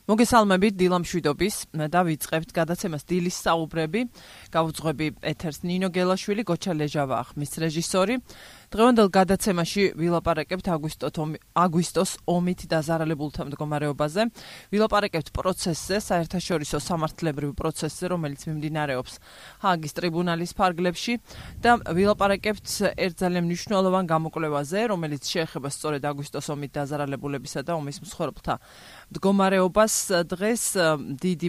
მოგესალმებით დილამშვიდობის და ვიწყებთ გადაცემას დილის საუბრები. Გავუძღვები ეთერს ნინო გელაშვილი, გოჩა ლეჟავა ახმის რეჟისორი. დღევანდელ გადაცემაში ვილაპარაკებთ აგვისტოს ომით დაზარალებულთა მდგომარეობაზე. ვილაპარაკებთ პროცესზე, საერთაშორისო სამართლებრივ პროცესზე, რომელიც მიმდინარეობს ჰააგის ტრიბუნალის ფარგლებში და ვილაპარაკებთ ერთ ძალიან მნიშვნელოვან გამოკვლევაზე, რომელიც შეეხება სწორედ აგვისტოს ომით დაზარალებულებისა და ომის მსხვერპლთა მდგომარეობას. დღეს დიდი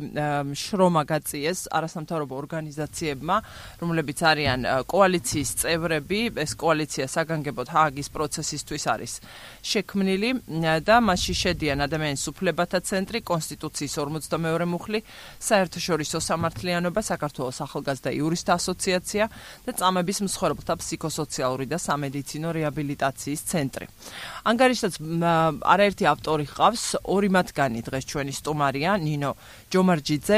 შრომა გაწიეს არასამთავრობო ორგანიზაციებმა, რომლებიც არიან კოალიციის წევრები. ეს კოალიცია საგანგებოდ ჰააგის პროცესისთვის არის შექმნილი და მასში შედიან ადამიანის უფლებათა ცენტრი, კონსტიტუციის 42 მუხლი, საერთაშორისო სამართლიანობა, საქართველოს ახალგაზრდა იურისტთა ასოციაცია და წამების მსხვერპლთა ფსიქოსოციალური და სამედიცინო რეაბილიტაციის ცენტრი. ანგარიშსაც არაერთი ავტორი ჰყავს, ორი მათგანი დღეს ჩვენი სტუმარია, ნინო ჯომარჯიძე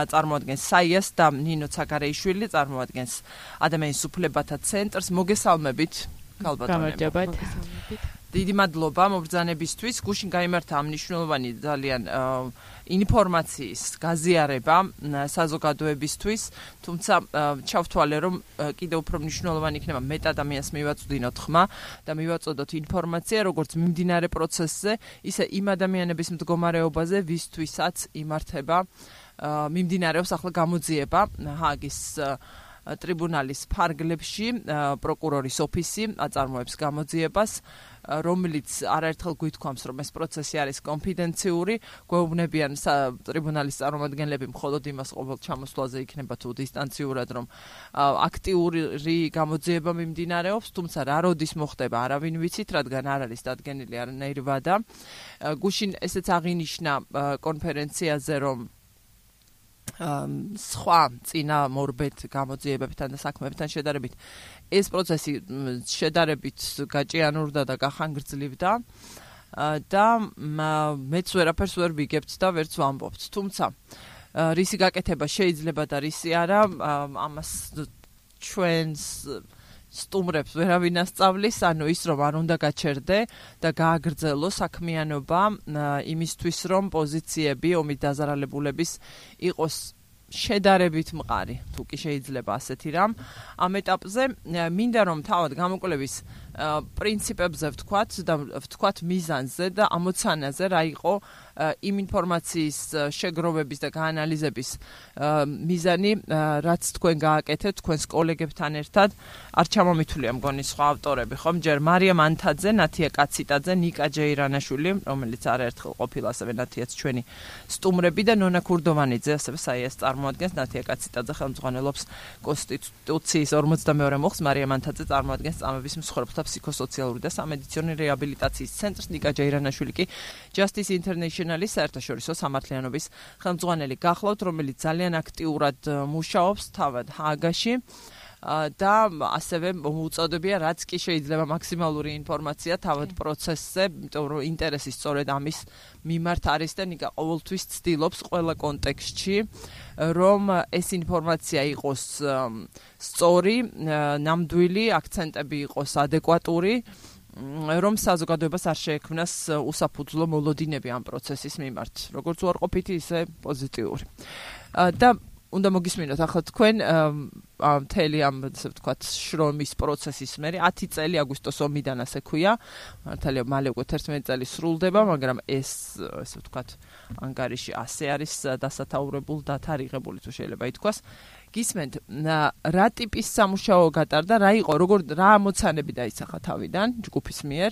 წარმოადგენს საიას და ნინო ცაგარეიშვილი წარმოადგენს ადამიანის უფლებათა ცენტრს. მოგესალმებით. გამარჯობათ. დიდი მადლობა მობრძანებისთვის. გუშინ გაიმართა მნიშვნელოვანი ძალიან ინფორმაციის გაზიარება საზოგადოებისთვის, თუმცა ჩავთვალე, რომ კიდევ უფრო მნიშვნელოვანი იქნება მეტ ადამიანს მივაწვდინოთ ხმა და მივაწოდოთ ინფორმაცია, როგორც მიმდინარე პროცესზე, ისე იმ ადამიანების მდგომარეობაზე, ვისთვისაც იმართება მიმდინარეობს ახლა გამოძიება ჰააგის ტრიბუნალის ფარგლებში. პროკურორის ოფისი აწარმოებს გამოძიებას, რომელიც არაერთხელ გვითქვამს, რომ ეს პროცესი არის კონფიდენციური. გვეუბნებიან ტრიბუნალის წარმომადგენლები მხოლოდ იმას ყოველ ჩამოსვლაზე იქნება თუ დისტანციურად, რომ აქტიური გამოძიება მიმდინარეობს, თუმცა რა როდის მოხდება არავინ ვიცით, რადგან არ არის დადგენილი არანაირი ვადა. გუშინ ესეც აღინიშნა კონფერენციაზე, რომ სხვა წინა მორბედ გამოძიებებთან და საქმეებთან შედარებით ეს პროცესი შედარებით გაჭიანურდა და გახანგრძლივდა და მეც ვერაფერს ვერ ვიგებთ და ვერც ვამბობთ. თუმცა რისი გაკეთება შეიძლება და რისი არა, ამას ჩვენს სტუმრებს ვერავინ ასწავლის, ანუ ის რომ არ უნდა გაჩერდე და გააგრძელო საქმიანობა იმისთვის, რომ პოზიციები ომით დაზარალებულების იყოს შედარებით მყარი, თუ კი შეიძლება ასეთი რამ. ამ ეტაპზე მინდა რომ თავად გამოკვლევის პრინციპებზე ვთქვათ მიზანზე და ამოცანაზე, რა იყო იმ ინფორმაციის შეგროვების და გაანალიზების მიზანი, რაც თქვენ გააკეთეთ თქვენს კოლეგებთან ერთად. არ ჩამომითვლია მგონი სხვა ავტორები, ხომ? ჯერ მარიამ ანთაძე, ნათია კაციტაძე, ნიკა ჯეირანაშვილი, რომელიც არაერთხელ ყოფილა ასევე ნათიაც ჩვენი სტუმრები და ნონა ქურდოვანიძე, ასევე საიას წარმოადგენს. ნათია კაციტაძე ხელმძღვანელობს კონსტიტუციის 42 მუხლს, მარიამ ანთაძე წარმოადგენს წამების მსხვერპლთა ფსიქოსოციალური და სამედიცინო რეაბილიტაციის ცენტრს, ნიკა ჯეირანაშვილი კი Justice International-ის საერთაშორისო სამართლიანობის ხელმძღვანელი გახლავთ, რომელიც ძალიან აქტიურად მუშაობს თავად ჰააგაში და ასევე მოუწოდებია, რაც კი შეიძლება მაქსიმალური ინფორმაცია თავად პროცესზე, იმიტომ რომ ინტერესი სწორედ ამის მიმართ არის და ნიკა ყოველთვის ცდილობს ყველა კონტექსტში, რომ ეს ინფორმაცია იყოს სწორი, ნამდვილი, აქცენტები იყოს ადეკვატური, რომ საზოგადოებას არ შეექმნას უსაფუძვლო მოლოდინები ამ პროცესის მიმართ, როგორც უარყოფითი, ისე პოზიტიური. და უნდა მოგისმინოთ ახლა თქვენ მთელი ამ ასე ვთქვათ შრომის პროცესის მერე 10 წელი აგვისტოს ომიდან ასე ქვია, მართალია მალე უკვე 11 წელი სრულდება, მაგრამ ეს ასე ვთქვათ ანგარიში ასე არის დასათაურებული, დათარიღებული თუ შეიძლება ითქვას. გისმენთ, რა ტიპის სამუშაო გატარდა, რა იყო, რა ამოცანები დაისახა თავიდან ჯგუფის მიერ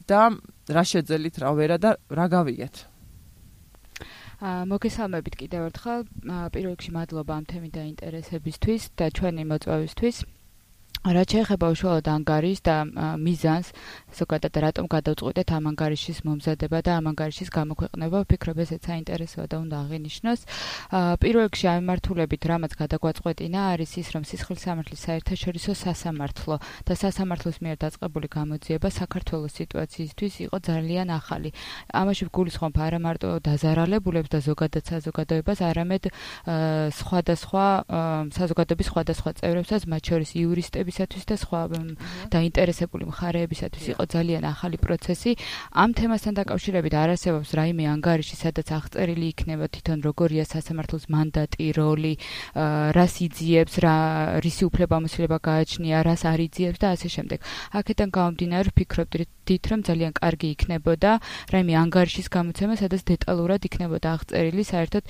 და რა შეძელით, რა ვერა და რა გავიგეთ? მოგესალმებით კიდევ ერთხელ. პირველ რიგში მადლობა ამ თემის დაინტერესებისთვის და ჩვენი მოწვევისთვის. რაც შეეხება უშუალოდ ანგარიშს და მიზანს, ზოგადად რატომ გადავწყვიტეთ ამ ანგარიშის მომზადება და ამ ანგარიშის გამოქვეყნება, ვფიქრობ ესეც საინტერესოა და უნდა აღინიშნოს. პირველ რიგში ამ მიმართულებით რამაც გადაგვაწყვეტინა არის ის, რომ სისხლის სამართლის საერთაშორისო სასამართლო და სასამართლოს მიერ დაწყებული გამოძიება საქართველოს სიტუაციისთვის იყო ძალიან ახალი. ამაში ვგულისხმობ არა მარტო დაზარალებულებს და ზოგადად საზოგადოებას, არამედ სხვადასხვა საზოგადოების სხვადასხვა წევრებსაც, მათ შორის იურისტების ადამიანებისათვის და სხვა დაინტერესებული მხარეებისათვის იყო ძალიან ახალი პროცესი. ამ თემასთან დაკავშირებით არ არსებობს რაიმე ანგარიში, სადაც აღწერილი იქნება თვითონ როგორია სასამართლოს მანდატი, როლი, რას იძიებს, რისი უფლებამოსილება გააჩნია, რას არ იძიებს და ასე შემდეგ. აქედან გამომდინარე ვფიქრობდით, რომ ძალიან კარგი იქნებოდა რაიმე ანგარიშის გამოცემა, სადაც დეტალურად იქნებოდა აღწერილი საერთოდ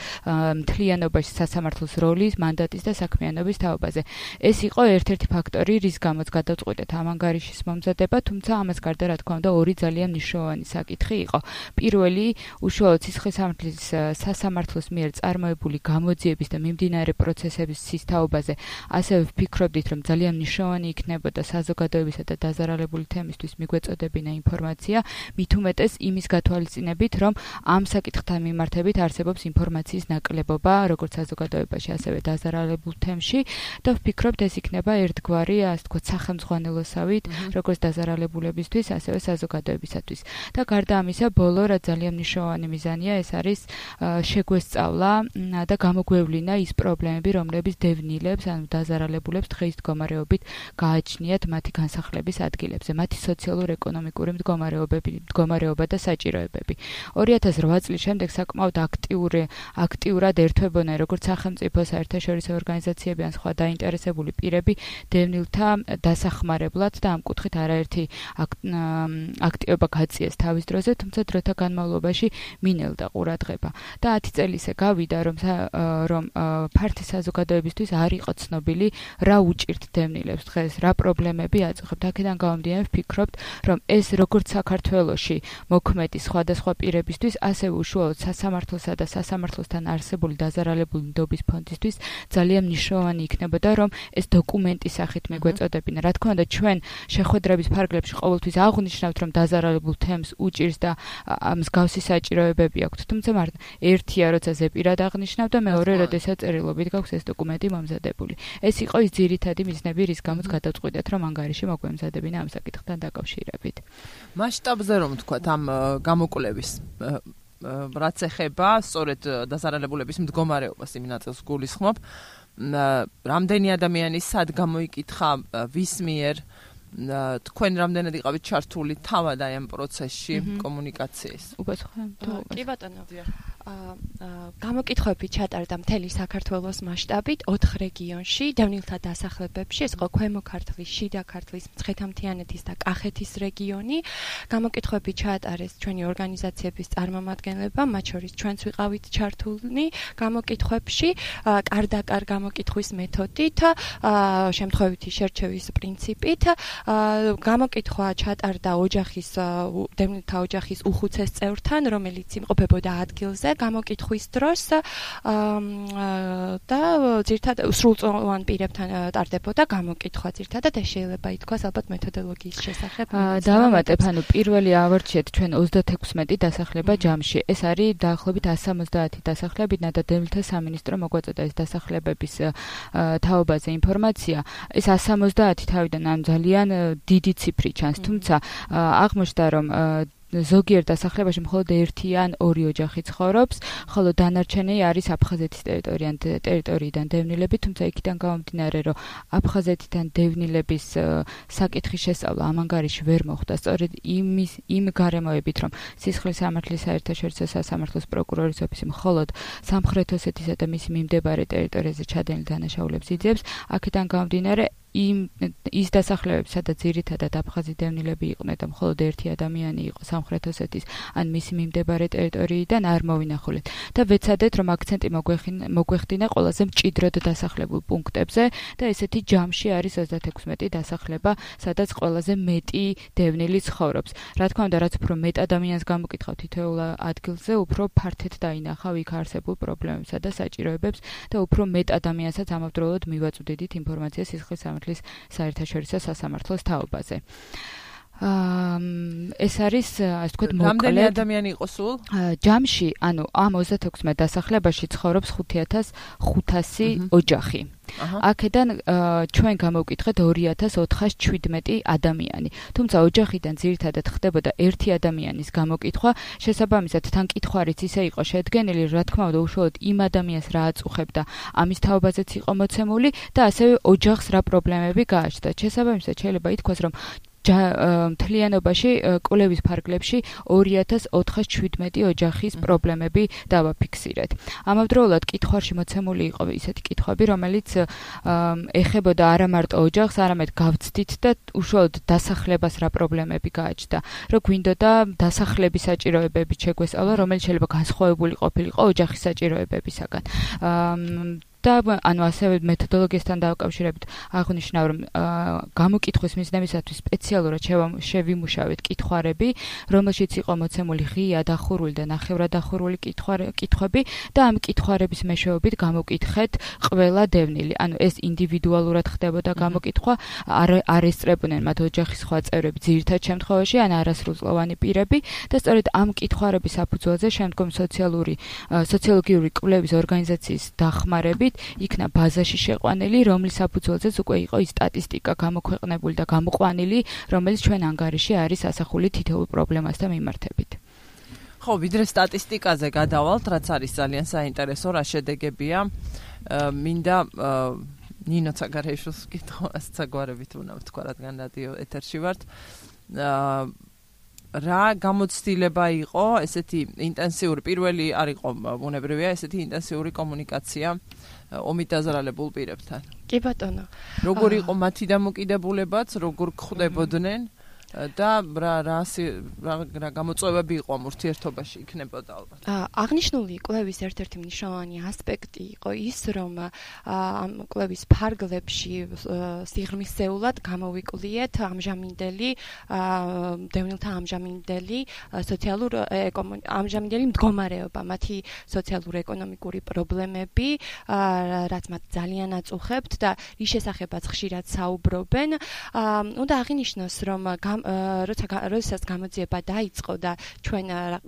მთლიანობაში სასამართლოს როლის, მანდატის და საქმიანობის თაობაზე. ეს იყო ერთ-ერთი ფაქტორი, რის გამოც გადავწყვიტეთ ამ ანგარიშის მომზადება, თუმცა ამას გარდა რა თქმა უნდა ორი ძალიან მნიშვნელოვანი საკითხი იყო. პირველი, უშუალოდ სისხლისამართლის სასამართლოს მიერ წარმოებული გამოძიების და მიმდინარე პროცესების თაობაზე, ასევე ვფიქრობდით, რომ ძალიან მნიშვნელოვანი იქნებოდა საზოგადოებისა და დაზარალებული თემისთვის მიგვეწოდებინა ინფორმაცია, მით უმეტეს იმის გათვალისწინებით, რომ ამ საკითხთან მიმართებით არსებობს ინფორმაციის ნაკლებობა, როგორც საზოგადოებაში, ასევე დაზარალებულ თემში და ვფიქრობთ, ეს იქნება ერთგვარი, ასე ვთქვათ, სახელმძღვანელოსავით, როგორც დაზარალებულებისთვის, ასევე საზოგადოებისათვის. და გარდა ამისა, ბოლო რა ძალიან მნიშვნელოვანი მიზანია, ეს არის შეგვესწავლა და გამოგვევლინა ის პრობლემები, რომლებიც დევნილებს, ანუ დაზარალებულებს დღეის მდგომარეობით გააჩნიათ მათი განსახლების ადგილებზე, მათი სოციალურ-ეკონომიკური მდგომარეობა და საჭიროებები. 2008 წლის შემდეგ საკმაოდ აქტიურად ერთვებოდნენ როგორც სახელმწიფო, საერთაშორისო ორგანიზაციები ან სხვა დაინტერესებული პირები დევნილთა დასახმარებლად და ამ კუთხით არაერთი აქტივობა გაწიეს თავის დროზე, თუმცა დროთა განმავლობაში მინელდა ყურადღება. და 10 წელი ისე გავიდა, რომ ფართი საზოგადოებისთვის არ იყო ცნობილი, რა უჭირთ დევნილებს დღეს, რა პრობლემები აწუხებთ. აქედან გამომდინარე ვფიქრობთ, რომ ეს როგორც საქართველოში მოქმედი სხვადასხვა პირებისთვის, ასევე უშუალოდ სასამართლოსა და სასამართლოსთან არსებული დაზარალებული ნდობის ფონდისთვის ძალიან მნიშვნელოვანი იქნებოდა, რომ ეს დოკუმენტის სახით მიგვეწოდებინა. რა თქმა უნდა, ჩვენ შეხვედრების ფარგლებში ყოველთვის აღვნიშნავთ, რომ დაზარალებულ თემს უჭირს და მსგავსი საჭიროებები აქვთ. თუმცა ერთია, როცა ზეპირად აღნიშნავ და მეორე, როდესაც წერილობით გაქვს ეს დოკუმენტი მომზადებული. ეს იყო ის ძირითადი მიზნები, რის გამოც გადავწყვიტეთ, რომ ანგარიში მოგვემზადებინა ამ საკითხთან დაკავშირებით. მასშტაბზე რომ ვთქვათ, ამ გამოკვლევის რაც ეხება სწორედ დაზარალებულების მდგომარეობას, იმ ნაწილს გულისხმობ, რამდენი ადამიანი სად გამოიკითხა, ვის მიერ, თქვენ რამდენად იყავით ჩართული თავად აი ამ პროცესში კომუნიკაციის? კი ბატონო. გამოკითხვები ჩატარდა მთელი საქართველოს მასშტაბით 4 რეგიონში, დევნილთა დასახლებებში, ეს იყო ქვემო ქართლის, შიდა ქართლის, მცხეთა-მთიანეთის და კახეთის რეგიონი. გამოკითხვები ჩაატარეს ჩვენი ორგანიზაციების წარმომადგენლებმა, მათ შორის ჩვენც ვიყავით ჩართულნი გამოკითხვებში, კარ-და-კარ გამოკითხვის მეთოდით, შემთხვევითი შერჩევის პრინციპით. გამოკითხვა ჩატარდა დევნილთა ოჯახის უხუცეს წევრთან, რომელიც იმყოფებოდა ადგილზე გამოკითხვის დროს და ძირითადად სრულწლოვან პირებთან ტარდებოდა გამოკითხვა ძირითადად ეს შეიძლება ითქვას ალბათ მეთოდოლოგიის შესახებ. დავამატებ, ანუ პირველი ავარჩიეთ ჩვენ 36 დასახლება ჯამში. ეს არის დაახლოებით 170 დასახლებიდან და დევნილთა სამინისტრო მოგვაწოდა ეს დასახლებების თაობაზე ინფორმაცია. ეს 170 თავიდან ამ ძალიან დიდი ციფრი ჩანს, თუმცა აღმოჩნდა, რომ ზოგიერთ დასახლებაში მხოლოდ ერთი ან ორი ოჯახი ცხოვრობს, ხოლო დანარჩენი არის აფხაზეთის ტერიტორიიდან დევნილები, თუმცა იქიდან გამომდინარე, რომ აფხაზეთიდან დევნილების საკითხის შესწავლა ამ ანგარიში ვერ მოხდა, სწორედ იმ გარემოებით, რომ სისხლისამართლის საერთაშორისო სასამართლოს პროკურორის ოფისი მხოლოდ სამხრეთ ოსეთისა და მისი მიმდებარე ტერიტორიაზე ჩადენილ დანაშაულებს იძიებს, აქედან გამომდინარე ის დასახლებები, სადაც ძირითადად აფხაზი დევნილები იყვნენ და მხოლოდ ერთი ადამიანი იყო სამხრეთ ოსეთის ან მისი მიმდებარე ტერიტორიიდან არ მოვინახულეთ და ვეცადეთ, რომ აქცენტი მოგვეხდინა ყველაზე მჭიდროდ დასახლებულ პუნქტებზე და ესეთი ჯამში არის 36 დასახლება, სადაც ყველაზე მეტი დევნილი ცხოვრობს. რა თქმა უნდა, რაც უფრო მეტ ადამიანს გამოკითხავ თითოეულ ადგილზე, უფრო ფართედ დაინახავ იქ არსებულ პრობლემებსა და საჭიროებებს და უფრო მეტ ადამიანსაც ამავდროულად მივაწვდიდით ინფორმაციას სისხლისამართლის საერთაშორისო სასამართლოს თაობაზე. ეს არის ასე ვთქვათ მოკლედ რამდენი ადამიანი იყო სულ? ჯამში, ანუ ამ 26 დასახლებაში ცხოვრობს 5500 ოჯახი. აქედან ჩვენ გამოვკითხეთ 2417 ადამიანი. თუმცა ოჯახიდან ძირითადად ხდებოდა ერთი ადამიანის გამოკითხვა, შესაბამისად თან კითხვარიც ისე იყო შედგენილი, რა თქმა უნდა, უშუალოდ იმ ადამიანს რა აწუხებდა, ამის თაობაზეც იყო მოცემული და ასევე ოჯახს რა პრობლემები გააჩნდა. შესაბამისად შეიძლება ითქვას, რომ მთლიანობაში კვლევის ფარგლებში 2417 ოჯახის პრობლემები დავაფიქსირეთ. ამავდროულად კითხვარში მოცემული იყო ისეთი კითხვები, რომელიც ეხებოდა არა მარტო ოჯახს, არამედ გავცდით და უშუალოდ დასახლებას რა პრობლემები გააჩნდა. რო გვინდოდა დასახლების საჭიროებებით შეგვესწავლა, რომელიც შეიძლება განსხვავებული ყოფილიყო ოჯახის საჭიროებებისაგან. და ანუ ასევე მეთოდოლოგიასთან დაკავშირებით აღნიშნავ, რომ გამოკითხვის მიზნებისათვის სპეციალურად შევიმუშავეთ კითხვარები, რომელშიც იყო მოცემული ღია დახურული და ნახევრად დახურული კითხვები და ამ კითხვარების მეშვეობით გამოკითხეთ ყველა დევნილი. ანუ ეს ინდივიდუალურად ხდებოდა გამოკითხვა, არ ესწრებოდნენ მათ ოჯახის სხვა წევრები ძირითად შემთხვევაში ან არასრულწლოვანი პირები და სწორედ ამ კითხვარების საფუძველზე შემდგომ სოციოლოგიური კვლევის ორგანიზაციის დახმარებით იქნა ბაზაში შეყვანილი, რომლის საფუძველზეც უკვე იყო ის სტატისტიკა გამოქვეყნებული და გამოყვანილი, რომელიც ჩვენ ანგარიში არის ასახული თითოეულ პრობლემასთან მიმართებით. ხო, ვიდრე სტატისტიკაზე გადავალთ, რაც არის ძალიან საინტერესო, რა შედეგებია. მინდა ნინო ცაგარეიშვილს კითხავს საგვარებით უნდა ვთქვა, რადგან რადიო ეთერში ვართ. რა გამოცდილება იყო ესეთი ინტენსიური პირველი არ იყო ბუნებრივია ესეთი ინტენსიური კომუნიკაცია ომით დაზარალებულ პირებთან. კი ბატონო. როგორი იყო მათი დამოკიდებულებაც, როგორ ხდებოდნენ და რა გამოწვევები იყო ამ ურთიერთობაში იქნებოდა ალბათ. აღნიშნული კვლევის ერთ-ერთი მნიშვნელოვანი ასპექტი იყო ის, რომ ამ კვლევის ფარგლებში სიღრმისეულად გამოვიკვლიეთ დევნილთა ამჟამინდელი ამჟამინდელი მდგომარეობა, მათი სოციალურ-ეკონომიკური პრობლემები, რაც მათ ძალიან აწუხებთ და რის შესახებაც ხშირად საუბრობენ. უნდა აღინიშნოს, რომ როდესაც გამოძიება დაიწყო და ჩვენ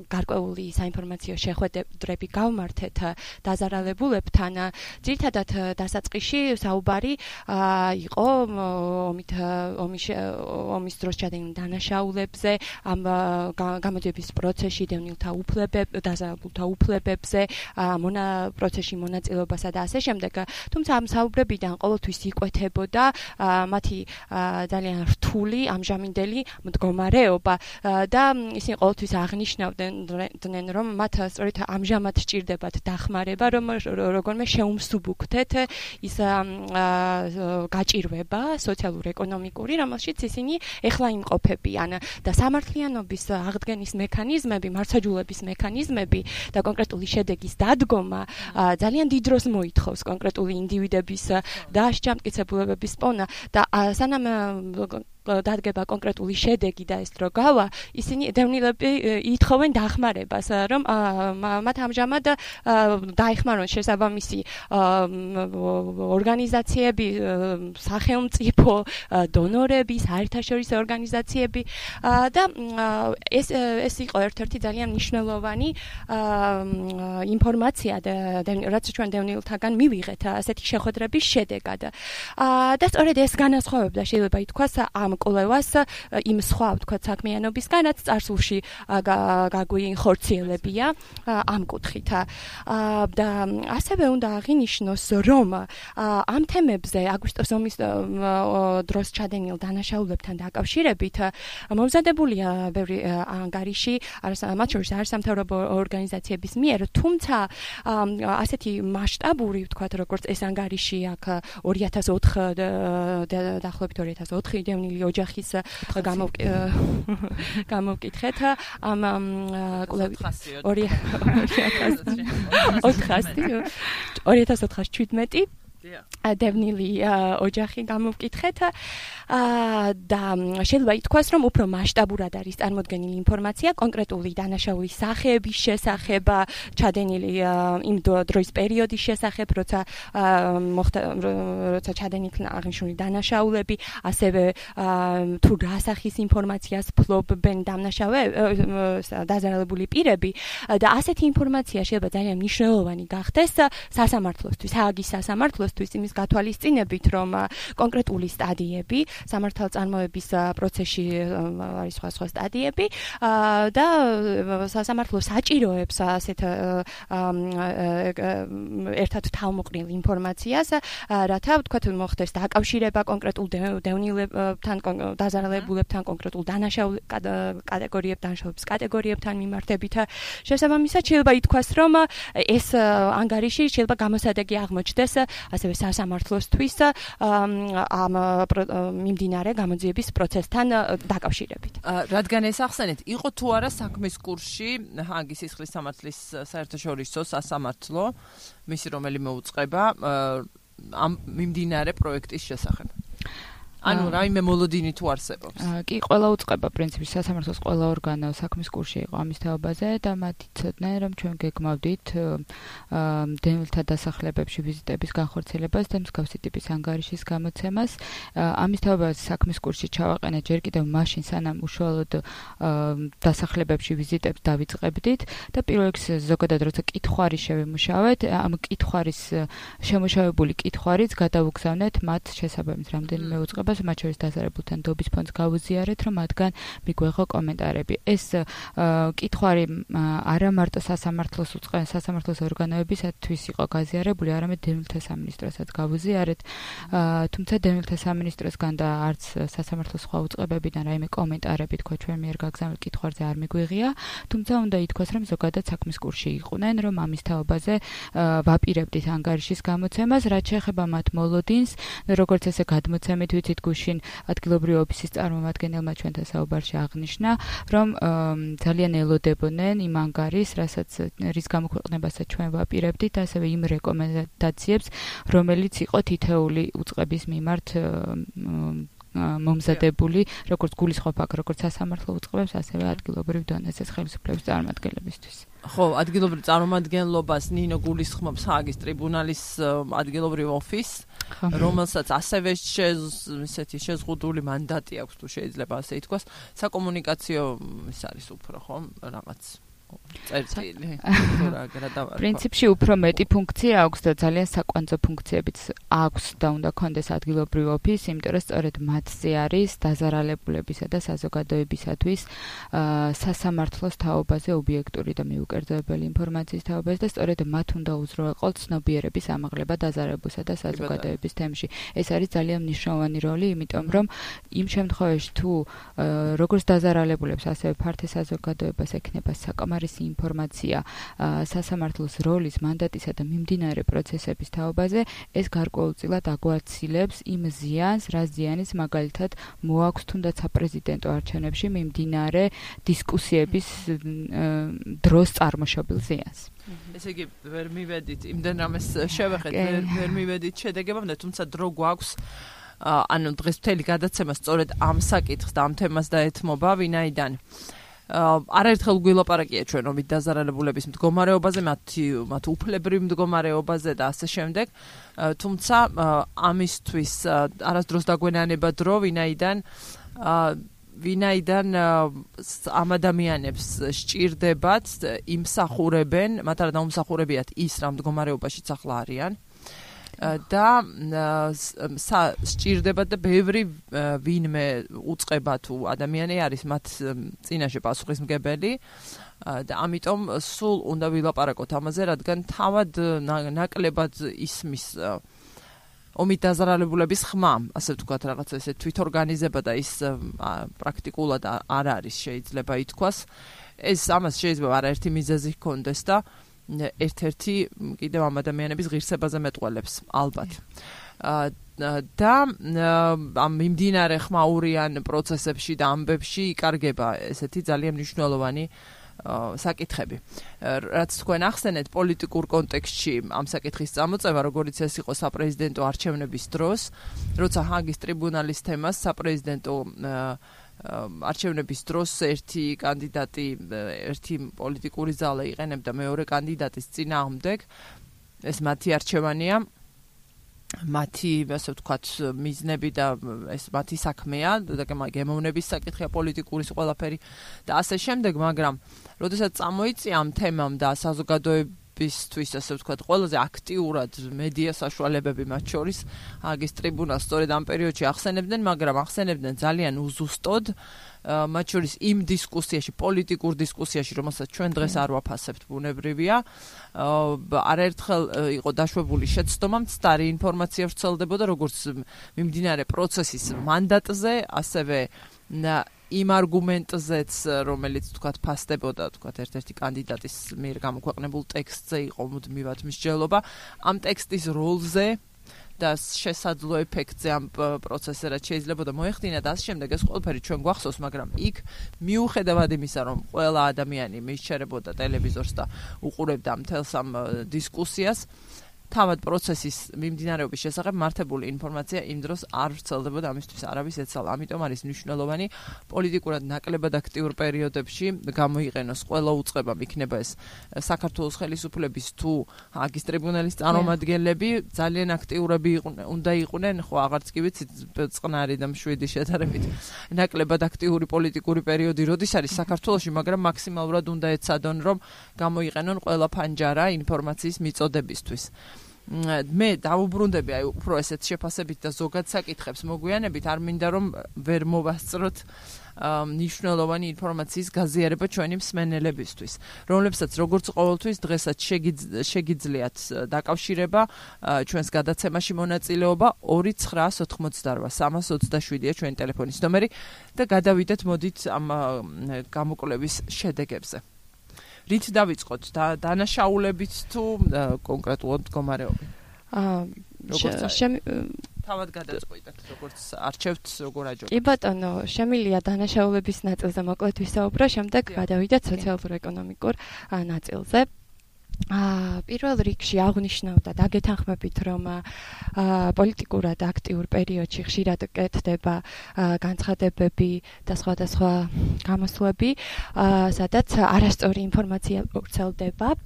გარკვეული საინფორმაციო შეხვედრები გავმართეთ დაზარალებულებთან, ძირითადად დასაწყისში საუბარი იყო ომის დროს ჩადენილ დანაშაულებზე, ამ გამოძიების პროცესში დაზარალებულთა უფლებებზე, პროცესში მონაწილეობასა და ასე შემდეგ. თუმცა ამ საუბრებიდან ყოველთვის იკვეთებოდა მათი ძალიან რთული ამჟამინდელი მდგომარეობა და ისინი ყოველთვის აღნიშნავდნენ, რომ მათ სწორედ ამჟამად სჭირდებათ დახმარება, რომ როგორმე შეუმსუბუქდეთ ის გაჭირვება სოციალურ-ეკონომიკური, რომელშიც ისინი ეხლა იმყოფებიან და სამართლიანობის აღდგენის მექანიზმები, მართლმსაჯულების მექანიზმები და კონკრეტული შედეგის დადგომა ძალიან დიდ დროს მოითხოვს კონკრეტული ინდივიდების და შემტკიცებულებების პოვნა და სანამ დადგება კონკრეტული შედეგი და ეს დრო გავა, ისინი დევნილები ითხოვენ დახმარებას, რომ მათ ამჟამად დაეხმარონ შესაბამისი ორგანიზაციები, სახელმწიფო, დონორები, საერთაშორისო ორგანიზაციები და ეს იყო ერთ-ერთი ძალიან მნიშვნელოვანი ინფორმაცია, რაც ჩვენ დევნილთაგან მივიღეთ ასეთი შეხვედრების შედეგად. და სწორედ ეს განასხვავებდა, შეიძლება ითქვას, ამ კვლევას იმ სხვა ვთქვათ საქმიანობისგან, რაც წარსულში გაგვიხორციელებია ამ კუთხით. და ასევე უნდა აღინიშნოს, რომ ამ თემებზე აგვისტოს ომის დროს ჩადენილ დანაშაულებთან დაკავშირებით მომზადებულია ბევრი ანგარიში, მათ შორის არასამთავრობო ორგანიზაციების მიერ, თუმცა ასეთი მასშტაბური ვთქვათ, როგორც ეს ანგარიში აქ 2004 დაახლოებით 2004 დევნილი ოჯახის გამოვკითხეთ ამ კვლევის 2017 დევნილი ოჯახი გამოვკითხეთ და შეიძლება ითქვას, რომ უფრო მასშტაბურად არის წარმოდგენილი ინფორმაცია კონკრეტული დანაშაულის სახეების შესახებ, ჩადენილი იმ დროის პერიოდის შესახებ, როცა ჩადენილი აღნიშნული დანაშაულები, ასევე თუ რა სახის ინფორმაციას ფლობენ დაზარალებული პირები და ასეთი ინფორმაცია შეიძლება ძალიან მნიშვნელოვანი გახდეს სასამართლოსთვის, ჰააგის სასამართლოსთვის იმის გათვალისწინებით, რომ კონკრეტული სტადიები სამართალწარმოების პროცესში არის სხვა სტადიები და სასამართლო საჭიროებს ასეთ ერთად თავმოყრილ ინფორმაციას, რათა ვთქვათ მოხდეს დაკავშირება კონკრეტულ დევნილებთან, დაზარალებულებთან, კონკრეტულ დანაშაულების კატეგორიებთან მიმართებით. შესაბამისად შეიძლება ითქვას, რომ ეს ანგარიში შეიძლება გამოსადეგი აღმოჩნდეს ასევე სასამართლოსთვის ამ მიმდინარე გამოძიების პროცესთან დაკავშირებით. რადგან ეს ახსენეთ, იყო თუ არა საქმის კურსში ჰააგის სისხლის სამართლის საერთაშორისო სასამართლო, მისი რომელიმე უწყება ამ მიმდინარე პროექტის შესახებ. ანუ რაიმე მოლოდინი თუ არსებობს. კი, ყველა უწყება პრინციპში სასამართლოს ყველა ორგანო საქმის კურსში იყო ამის თაობაზე და მათ იცოდნენ, რომ ჩვენ გეგმავდით დევნილთა დასახლებებში ვიზიტების განხორციელებას და მსგავსი ტიპის ანგარიშის გამოცემას. ამის თაობაზე საქმის კურსში ჩავაყენეთ ჯერ კიდევ მაშინ, სანამ უშუალოდ დასახლებებში ვიზიტებს დავიწყებდით და პირველ რიგში ზოგადად როცა კითხვარი შევიმუშავეთ, ამ კითხვარის შემუშავებული კითხვარიც გადავუგზავნეთ მათ შესაბამის რამდენიმე უწყებას, მათ შორის დაზარებულთან დობის ფონდს გავუზიარეთ, რომ მათგან მიგვეღო კომენტარები. ეს კითხვარი არა მარტო სასამართლოს ორგანოებისათვის იყო გაზიარებული, არამედ დევნილთა სამინისტროსაც გავუზიარეთ. თუმცა დევნილთა სამინისტროსგან და არც სასამართლოს სხვა უწყებებიდან რაიმე კომენტარები თქვა ჩვენ მიერ გაგზავნილ კითხვარზე არ მიგვიღია, თუმცა უნდა ითქვას, რომ ზოგადად საქმის კურსში იყვნენ, რომ ამის თაობაზე ვაპირებდით ანგარიშის გამოცემას, რაც შეეხება მათ მოლოდინს, როგორც ესე გადმოცემით ვიცით გუშინ ადგილობრივი ოფისის წარმომადგენელმა ჩვენთან საუბარში აღნიშნა, რომ ძალიან ელოდებოდნენ იმ ანგარიშს, რის გამოქვეყნებასაც ჩვენ ვაპირებდით, ასევე იმ რეკომენდაციებს, რომელიც იყო თითეული უწყების მიმართ მომზადებული, როგორც გულისხმობ აქ, როგორც სასამართლო უწყებებს, ასევე ადგილობრივ დონეზე ხელისუფლების წარმომადგენლებისთვის. ხო, ადგილობრივ წარმომადგენლობას ნინო გულისხმობს ჰააგის ტრიბუნალის ადგილობრივ ოფისს, რომელსაც ასევე ისეთი შეზღუდული მანდატი აქვს, თუ შეიძლება ასე ითქვას, საკომუნიკაციო ის არის უფრო, ხო, რაღაც წერტილი. პრინციპში უფრო მეტი ფუნქცია აქვს და ძალიან საკვანძო ფუნქციებიც აქვს და უნდა კონდეს ადგილობრივ ოფისს, იმიტომ რომ სწორედ მათზე არის დაზარალებულებისა და საზოგადოებისათვის სასამართლოს თაობაზე ობიექტური და მიუკერძოებელი ინფორმაციის თაობაზე და სწორედ მათ უნდა უზრუნველყოთ ცნობიერების ამაღლება დაზარებულსა და საზოგადოების თემში. ეს არის ძალიან მნიშვნელოვანი როლი, იმიტომ რომ იმ შემთხვევაში თუ როგორც დაზარალებულებს, ასევე ფართე საზოგადოებას ექნება საკმარისი ინფორმაცია სასამართლოს როლის, მანდატისა და მიმდინარე პროცესების თაობაზე, ეს გარკვეულწილად აგვაცილებს იმ ზიანს, რა ზიანის მაგალითად მოაქვს თუნდაც საპრეზიდენტო არჩევნებში მიმდინარე დისკუსიების დროს წარმოშობილ ზიანს. ესე იგი, ვერ მივედით იმდენ რამეს შევეხეთ, ვერ მივედით შედეგებამდე, თუმცა დრო გვაქვს ანუ დღეს მთელი გადაცემა სწორედ ამ საკითხს და ამ თემას დაეთმობა, ვინაიდან არაერთხელ გვილაპარაკია ჩვენ ომით დაზარალებულების მდგომარეობაზე, მათ უფლებრივ მდგომარეობაზე და ასე შემდეგ. თუმცა ამისთვის არასდროს დაგვენანება დრო, ვინაიდან ამ ადამიანებს სჭირდებათ იმსახურებენ, მათ არა დაუმსახურებიათ ის რა მდგომარეობაშიც ახლა არიან. და სჭირდებათ და ბევრი ვინმე უწყება თუ ადამიანი არის მათ წინაშე პასუხისმგებელი და ამიტომ სულ უნდა ვილაპარაკოთ ამაზე, რადგან თავად ნაკლებად ისმის ომით დაზარალებულების ხმა, ასე ვთქვათ, რაღაცა ესე თვითორგანიზება და ის პრაქტიკულად არ არის შეიძლება ითქვას. ამას შეიძლება არაერთი მიზეზი ჰქონდეს და ერთ-ერთი კიდევ ამ ადამიანების ღირსებაზე მეტყველებს, ალბათ. და ამ მიმდინარე ხმაურიან პროცესებში და ამბებში იკარგება ესეთი ძალიან მნიშვნელოვანი საკითხები. რაც თქვენ ახსენეთ პოლიტიკურ კონტექსტში ამ საკითხის წამოწევა, როგორიც ეს იყო საპრეზიდენტო არჩევნების დროს, როცა ჰაგის ტრიბუნალის თემას საპრეზიდენტო არჩევნების დროს ერთი კანდიდატი, ერთი პოლიტიკური ძალა იყენებდა მეორე კანდიდატის წინააღმდეგ, ეს მათი არჩევანია. მათი, ასე ვთქვათ, მიზნები და ეს მათი საქმეა და გემოვნების საკითხია პოლიტიკური ყველაფერი და ასე შემდეგ, მაგრამ როდესაც წამოიწია ამ თემამ და საზოგადოებისთვის, ასე ვთქვათ, ყველაზე აქტიურად მედია საშუალებები მათ შორის ჰაგის ტრიბუნალს სწორედ ამ პერიოდში ახსენებდნენ, მაგრამ ახსენებდნენ ძალიან უზუსტოდ მათ შორის იმ დისკუსიაში, პოლიტიკურ დისკუსიაში, რომელსაც ჩვენ დღეს არ ვაფასებთ, ბუნებრივია, არაერთხელ იყო დაშვებული შეცდომა, მცდარი ინფორმაცია ვრცელდებოდა, როგორც მიმდინარე პროცესის მანდატზე, ასევე იმ არგუმენტზეც, რომელიც თქვათ ფასდებოდა, თქვათ ერთ-ერთი კანდიდატის მიერ გამოქვეყნებულ ტექსტზე იყო მუდმივად მსჯელობა, ამ ტექსტის როლზე და შესაძლო ეფექტზე ამ პროცესზე რაც შეიძლება მოეხდინა და ასე შემდეგ ეს ყველაფერი ჩვენ გვახსოვს, მაგრამ იქ მიუხედავად იმისა, რომ ყველა ადამიანი მისჩერებოდა ტელევიზორს და უყურებდა მთელს ამ დისკუსიას, თავად პროცესის მიმდინარეობის შესახებ მართებული ინფორმაცია იმ დროს არ ვრცელდებოდა, ამისთვის არავის ეცალა. ამიტომ არის მნიშვნელოვანი პოლიტიკურად ნაკლებად აქტიურ პერიოდებში გამოიყენოს ყველა უწყებამ, იქნება ეს საქართველოს ხელისუფლების თუ ჰაგის ტრიბუნალის წარმომადგენლები, ძალიან აქტიურები უნდა იყვნენ, ხო აღარც კი ვიცით, წყნარი და მშვიდი შედარებით ნაკლებად აქტიური პოლიტიკური პერიოდი როდის არის საქართველოში, მაგრამ მაქსიმალურად უნდა ეცადონ, რომ გამოიყენონ ყველა ფანჯარა ინფორმაციის მიწოდებისთვის. მე დავუბრუნდები აი უფრო ესეთ შეფასებით და ზოგად საკითხებს მოგვიანებით, არ მინდა რომ ვერ მოვასწროთ მნიშვნელოვანი ინფორმაციის გაზიარება ჩვენი მსმენელებისთვის, რომლებსაც როგორც ყოველთვის დღესაც შეგიძლიათ დაკავშირება ჩვენს გადაცემაში მონაწილეობა 2988-327-ია ჩვენი ტელეფონის ნომერი და გადავიდეთ მოდით ამ გამოკვლევის შედეგებზე. რით დავიწყოთ დანაშაულებით თუ კონკრეტულად მდგომარეობით? თავად გადაწყვეტეთ, როგორც არჩევთ, როგორ აჯობთ? კი ბატონო, შემილია დანაშაულების ნაწილზე მოკლედ ვისაუბრო, შემდეგ გადავიდეთ სოციალურ-ეკონომიკურ ნაწილზე. პირველ რიგში აღნიშნავდა და გეთანხმებით, რომ პოლიტიკურად აქტიურ პერიოდში ხშირად კეთდება განცხადებები და სხვადასხვა გამოსვლები, სადაც არასწორი ინფორმაცია ვრცელდება.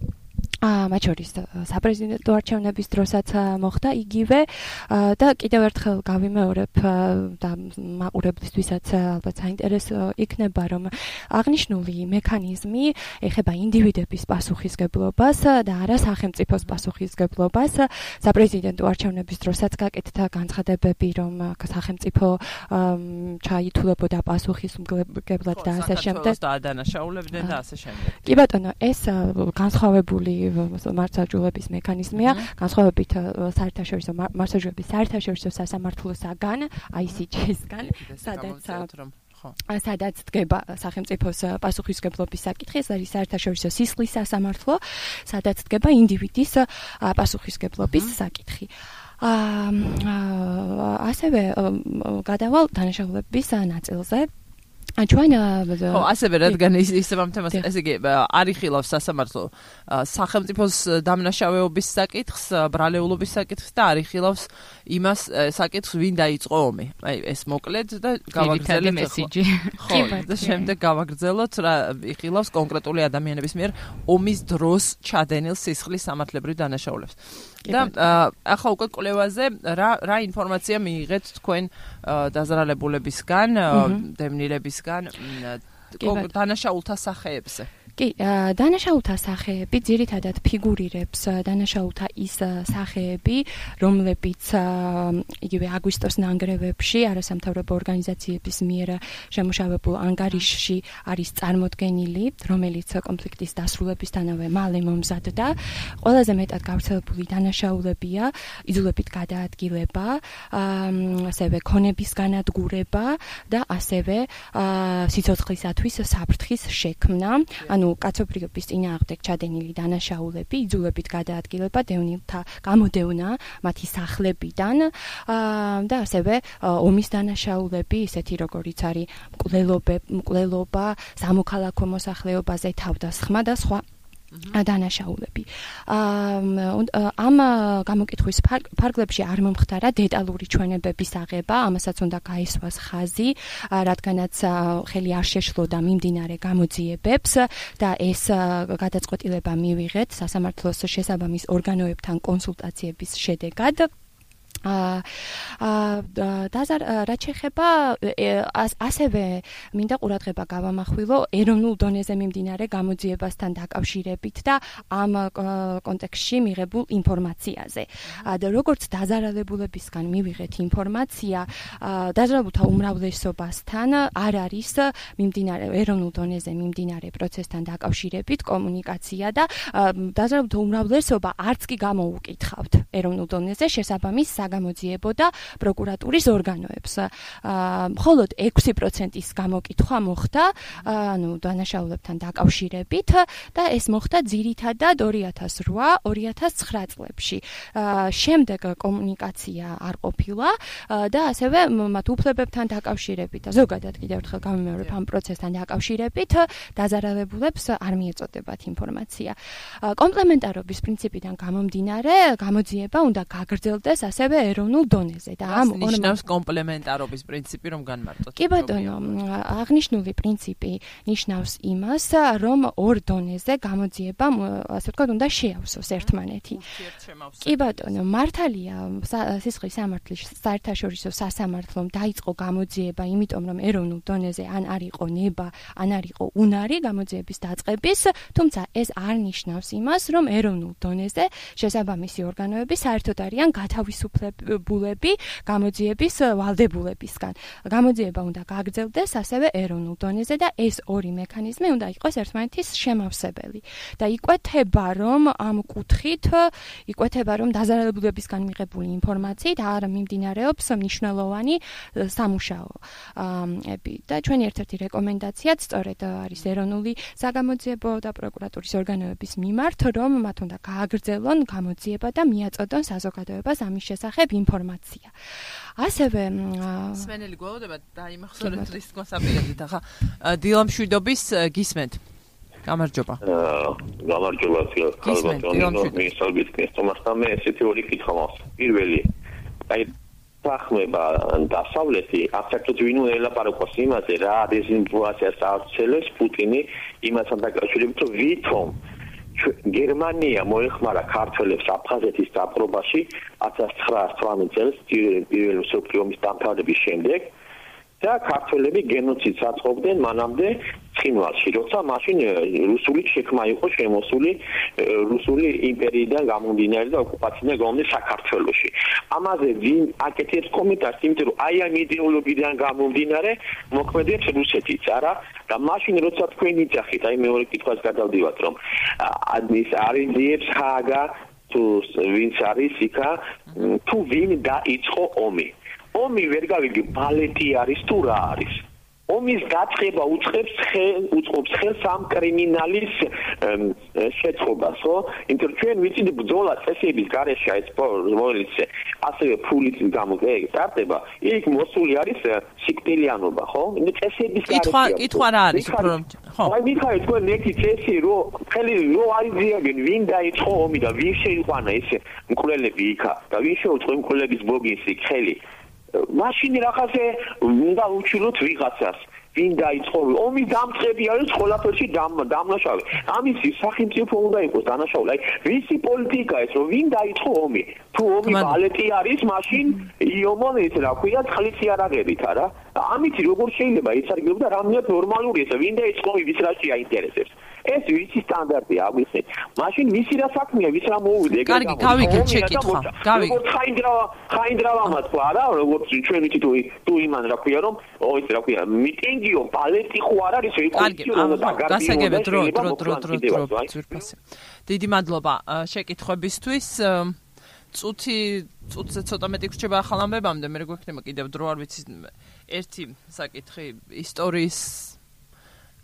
მათ შორის საპრეზიდენტო არჩევნების დროსაც მოხდა იგივე და კიდევ ერთხელ გავიმეორებ და მაყურებლისთვისაც ალბათ საინტერესო იქნება, რომ აღნიშნული მექანიზმი ეხება ინდივიდების პასუხისგებლობას და არა სახელმწიფოს პასუხისგებლობას. საპრეზიდენტო არჩევნების დროსაც გაკეთდა განცხადებები, რომ სახელმწიფო ჩაითულებოდა პასუხისმგებლად და ასე შემდეგ. და ადანაშაულებდნენ და ასე შემდეგ. კი ბატონო, ეს განსხვავებული მართლმსაჯულების მექანიზმია, განსხვავებით საერთაშორისო მართლმსაჯულების საერთაშორისო სასამართლოსაგან, ICJ-სგან, სადაც დგება სახელმწიფოს პასუხისმგებლობის საკითხი, ეს არის საერთაშორისო სისხლის სასამართლო, სადაც დგება ინდივიდის პასუხისმგებლობის საკითხი. ასევე გადავალ დანაშაულების ნაწილზე. ჩვენ ასევე რადგან ისევ ამ თემას, ესე იგი, არ იხილავს სასამართლო სახელმწიფოს დამნაშავეობის საკითხს, ბრალეულობის საკითხს და არ იხილავს იმას საკითხს, ვინ დაიწყო ომი. აი, ეს მოკლედ და გავაგრძელეთ მესიჯი. ხო, და შემდეგ გავაგრძელოთ რა იხილავს კონკრეტული ადამიანების მიერ ომის დროს ჩადენილ სისხლის სამართლებრივ დანაშაულებს. და ახლა უკვე კვლევაზე რა ინფორმაცია მიიღეთ თქვენ დაზრალებულებისგან, დევნილებისგან დანაშაულთა სახეებზე? კი, დანაშაულთა სახეები ძირითადად ფიგურირებს დანაშაულთა ის სახეები, რომლებიც იგივე აგვისტოს ნანგრევებში არასამთავრობო ორგანიზაციების მიერ შემუშავებულ ანგარიშში არის წარმოდგენილი, რომელიც კონფლიქტის დასრულებისთანავე მალე მომზადდა. ყველაზე მეტად გავრცელებული დანაშაულებია იძულებით გადაადგილება, ასევე ქონების განადგურება და ასევე სიცოცხლისათვის საფრთხის შექმნა. ანუ კაცობრიობის წინააღმდეგ ჩადენილი დანაშაულები იძულებით გადაადგილება დევნილთა გამოდევნა მათი სახლებიდან და ასევე ომის დანაშაულები, ისეთი როგორიც არის მკვლელობა, სამოქალაქო მოსახლეობაზე თავდასხმა და სხვა დანაშაულები. ამ გამოკითხვის ფარგლებში არ მომხდარა დეტალური ჩვენებების აღება, ამასაც უნდა გაისვას ხაზი, რადგანაც ხელი არ შეშლოდა მიმდინარე გამოძიებებს და ეს გადაწყვეტილება მივიღეთ სასამართლოს შესაბამის ორგანოებთან კონსულტაციების შედეგად. რაც შეეხება ასევე მინდა ყურადღება გავამახვილო ეროვნულ დონეზე მიმდინარე გამოძიებასთან დაკავშირებით და ამ კონტექსტში მიღებულ ინფორმაციაზე. როგორც დაზარალებულებისგან მივიღეთ ინფორმაცია, დაზარალებულთა უმრავლესობასთან არ არის მიმდინარე ეროვნულ დონეზე მიმდინარე პროცესთან დაკავშირებით კომუნიკაცია და დაზარალებულთა უმრავლესობა არც კი გამოუკითხავთ ეროვნულ დონეზე შესაბამის გამოძიებო და პროკურატურის ორგანოებს. მხოლოდ 6%-ის გამოკითხვა მოხდა, დანაშაულებთან დაკავშირებით და ეს მოხდა ძირითადად 2008-2009 წლებში. შემდეგ კომუნიკაცია არ ყოფილა და ასევე მათ უფლებებთან დაკავშირებით და ზოგადად კიდევ ერთხელ გამიმეორებ ამ პროცესთან დაკავშირებით დაზარალებულებს არ მიეწოდებათ ინფორმაცია. კომპლემენტარობის პრინციპიდან გამომდინარე, გამოძიება უნდა გაგრძელდეს ასევე ეროვნულ დონეზე და ამ ნიშნავს კომპლემენტარობის პრინციპი რომ განმარტოთ. კი ბატონო, აღნიშნული პრინციპი ნიშნავს იმას, რომ ორ დონეზე გამოძიება, ასე ვთქვათ, უნდა შეავსოს ერთმანეთი. კი ბატონო, მართალია სისხლის სამართლის საერთაშორისო სასამართლომ დაიწყო გამოძიება, იმიტომ რომ ეროვნულ დონეზე ან არ იყო ნება, ან არ იყო უნარი გამოძიების დაწყების, თუმცა ეს არ ნიშნავს იმას, რომ ეროვნულ დონეზე შესაბამისი ორგანოები საერთოდ არიან გათავისუფლებული გამოძიების ვალდებულებისგან. გამოძიება უნდა გაგრძელდეს ასევე ეროვნულ დონეზე და ეს ორი მექანიზმი უნდა იყოს ერთმანეთის შემავსებელი. და იკვეთება, რომ ამ კუთხით დაზარალებულებისგან მიღებული ინფორმაციით არ მიმდინარეობს მნიშვნელოვანი სამუშაოები. და ჩვენი ერთ-ერთი რეკომენდაციაც სწორედ არის ეროვნული საგამოძიებო და პროკურატურის ორგანოების მიმართ, რომ მათ უნდა გააგრძელონ გამოძიება და მიაწოდონ საზოგადოებას ამის შესახებ ინფორმაცია. ასევე სვენელი გველოდება დაიმახსოვრეთ რის კონსაპირებით ახლა დილამშვიდობის გისმენთ. გამარჯობა. გამარჯობა ხალხო, მისალგით კესტომასთან მე ესეთი ორი კითხვა მაქვს. პირველი, აი სახმება დასავლეთი აბსოლუტურად ვინ უნდა ელაპარაკოს იმაზე, რა დეზინფორმაციას ავრცელებს პუტინი იმასთან დაკავშირებით, რომ ვითომ გერმანია მოეხმარა ქართველებს აფხაზეთის დაპყრობაში 1918 წელს პირველი მსოფლიო ომის დამთავრების შემდეგ და ქართველები გენოციდს აწყობდნენ მანამდე ცხინვალში, როცა მაშინ რუსული შექმნა იყო შემოსული რუსული იმპერიიდან გამომდინარე და ოკუპაციიდან გამომდინარე საქართველოში. ამაზე ვინ აკეთებს კომენტარს, იმიტომ რომ აი ამ იდეოლოგიიდან გამომდინარე მოქმედებს რუსეთიც, არა? და მაშინ როცა თქვენ იძახით, აი მეორე კითხვას გადავდივართ, რომ ის არიზიებს ჰაგა თუ ვინც არის იქა, თუ ვინ დაიწყო ომი. ომი ვერ გავიგე ბალეტი არის თუ რა არის. ომის დაწყება უწყობს ხელს ამ კრიმინალის შეწყობას, ხო? იმიტომ რომ ჩვენ ვიცით ბრძოლა წესების გარეშე ეს რომელიც ასევე ფულით გამოგეწარდება, იქ მოსული არის სიკვდილიანობა, ხო? იმიტომ წესების გარეშე. კითხვა რა არის, უფრო ხო? აი მიხაი თქვენ ერთი წესი რომ ხელი რო არიზიაგენ ვინ დაიწყო ომი და ვინ შეიყვანა ეს მკვლელები იქა და ვინ შეუწყო მკვლელების ბოგინსი ხელი მაშინ რაღაცე უნდა უჩვენოთ ვიღაცას ვინ დაიწყო ომის დამწყები არის ყველაფერში დამნაშავე ამის სახელმწიფო უნდა იყოს დანაშაული აი ვისი პოლიტიკაა ეს რომ ვინ დაიწყო ომი თუ ომი ბალეტი არის მაშინ იომონ ეს რა ქვია წყლიცი არ აღებით არა ამით როგორ შეიძლება იცარგებოდა რამდენად ნორმალურია ეს ვინ დაიწყო ვის რაში აინტერესებს ეს ვიცი სტანდარტია აგვიხსნით. მაშინ ვისი რა საქმეა, ვის რა მოუვიდა, ეგრე კარგი, გავიგეთ შეკითხვა. გავიგეთ. როგორც ხაინდრავამაც ხო არა, როგორც ჩვენ ვიცით თუ იმან რა ქვია რომ, ის რა ქვია, მიტინგიო, ბალეტი ხო არ არის, ეს კონსტიტუცია და გასაგებად დრო. ძვირფასი. დიდი მადლობა შეკითხვებისთვის. წუთზე ცოტა მეტი გრჩება ახალ ამბებამდე, მე გვექნება კიდევ დრო არ ვიცი ერთი საკითხი ისტორიის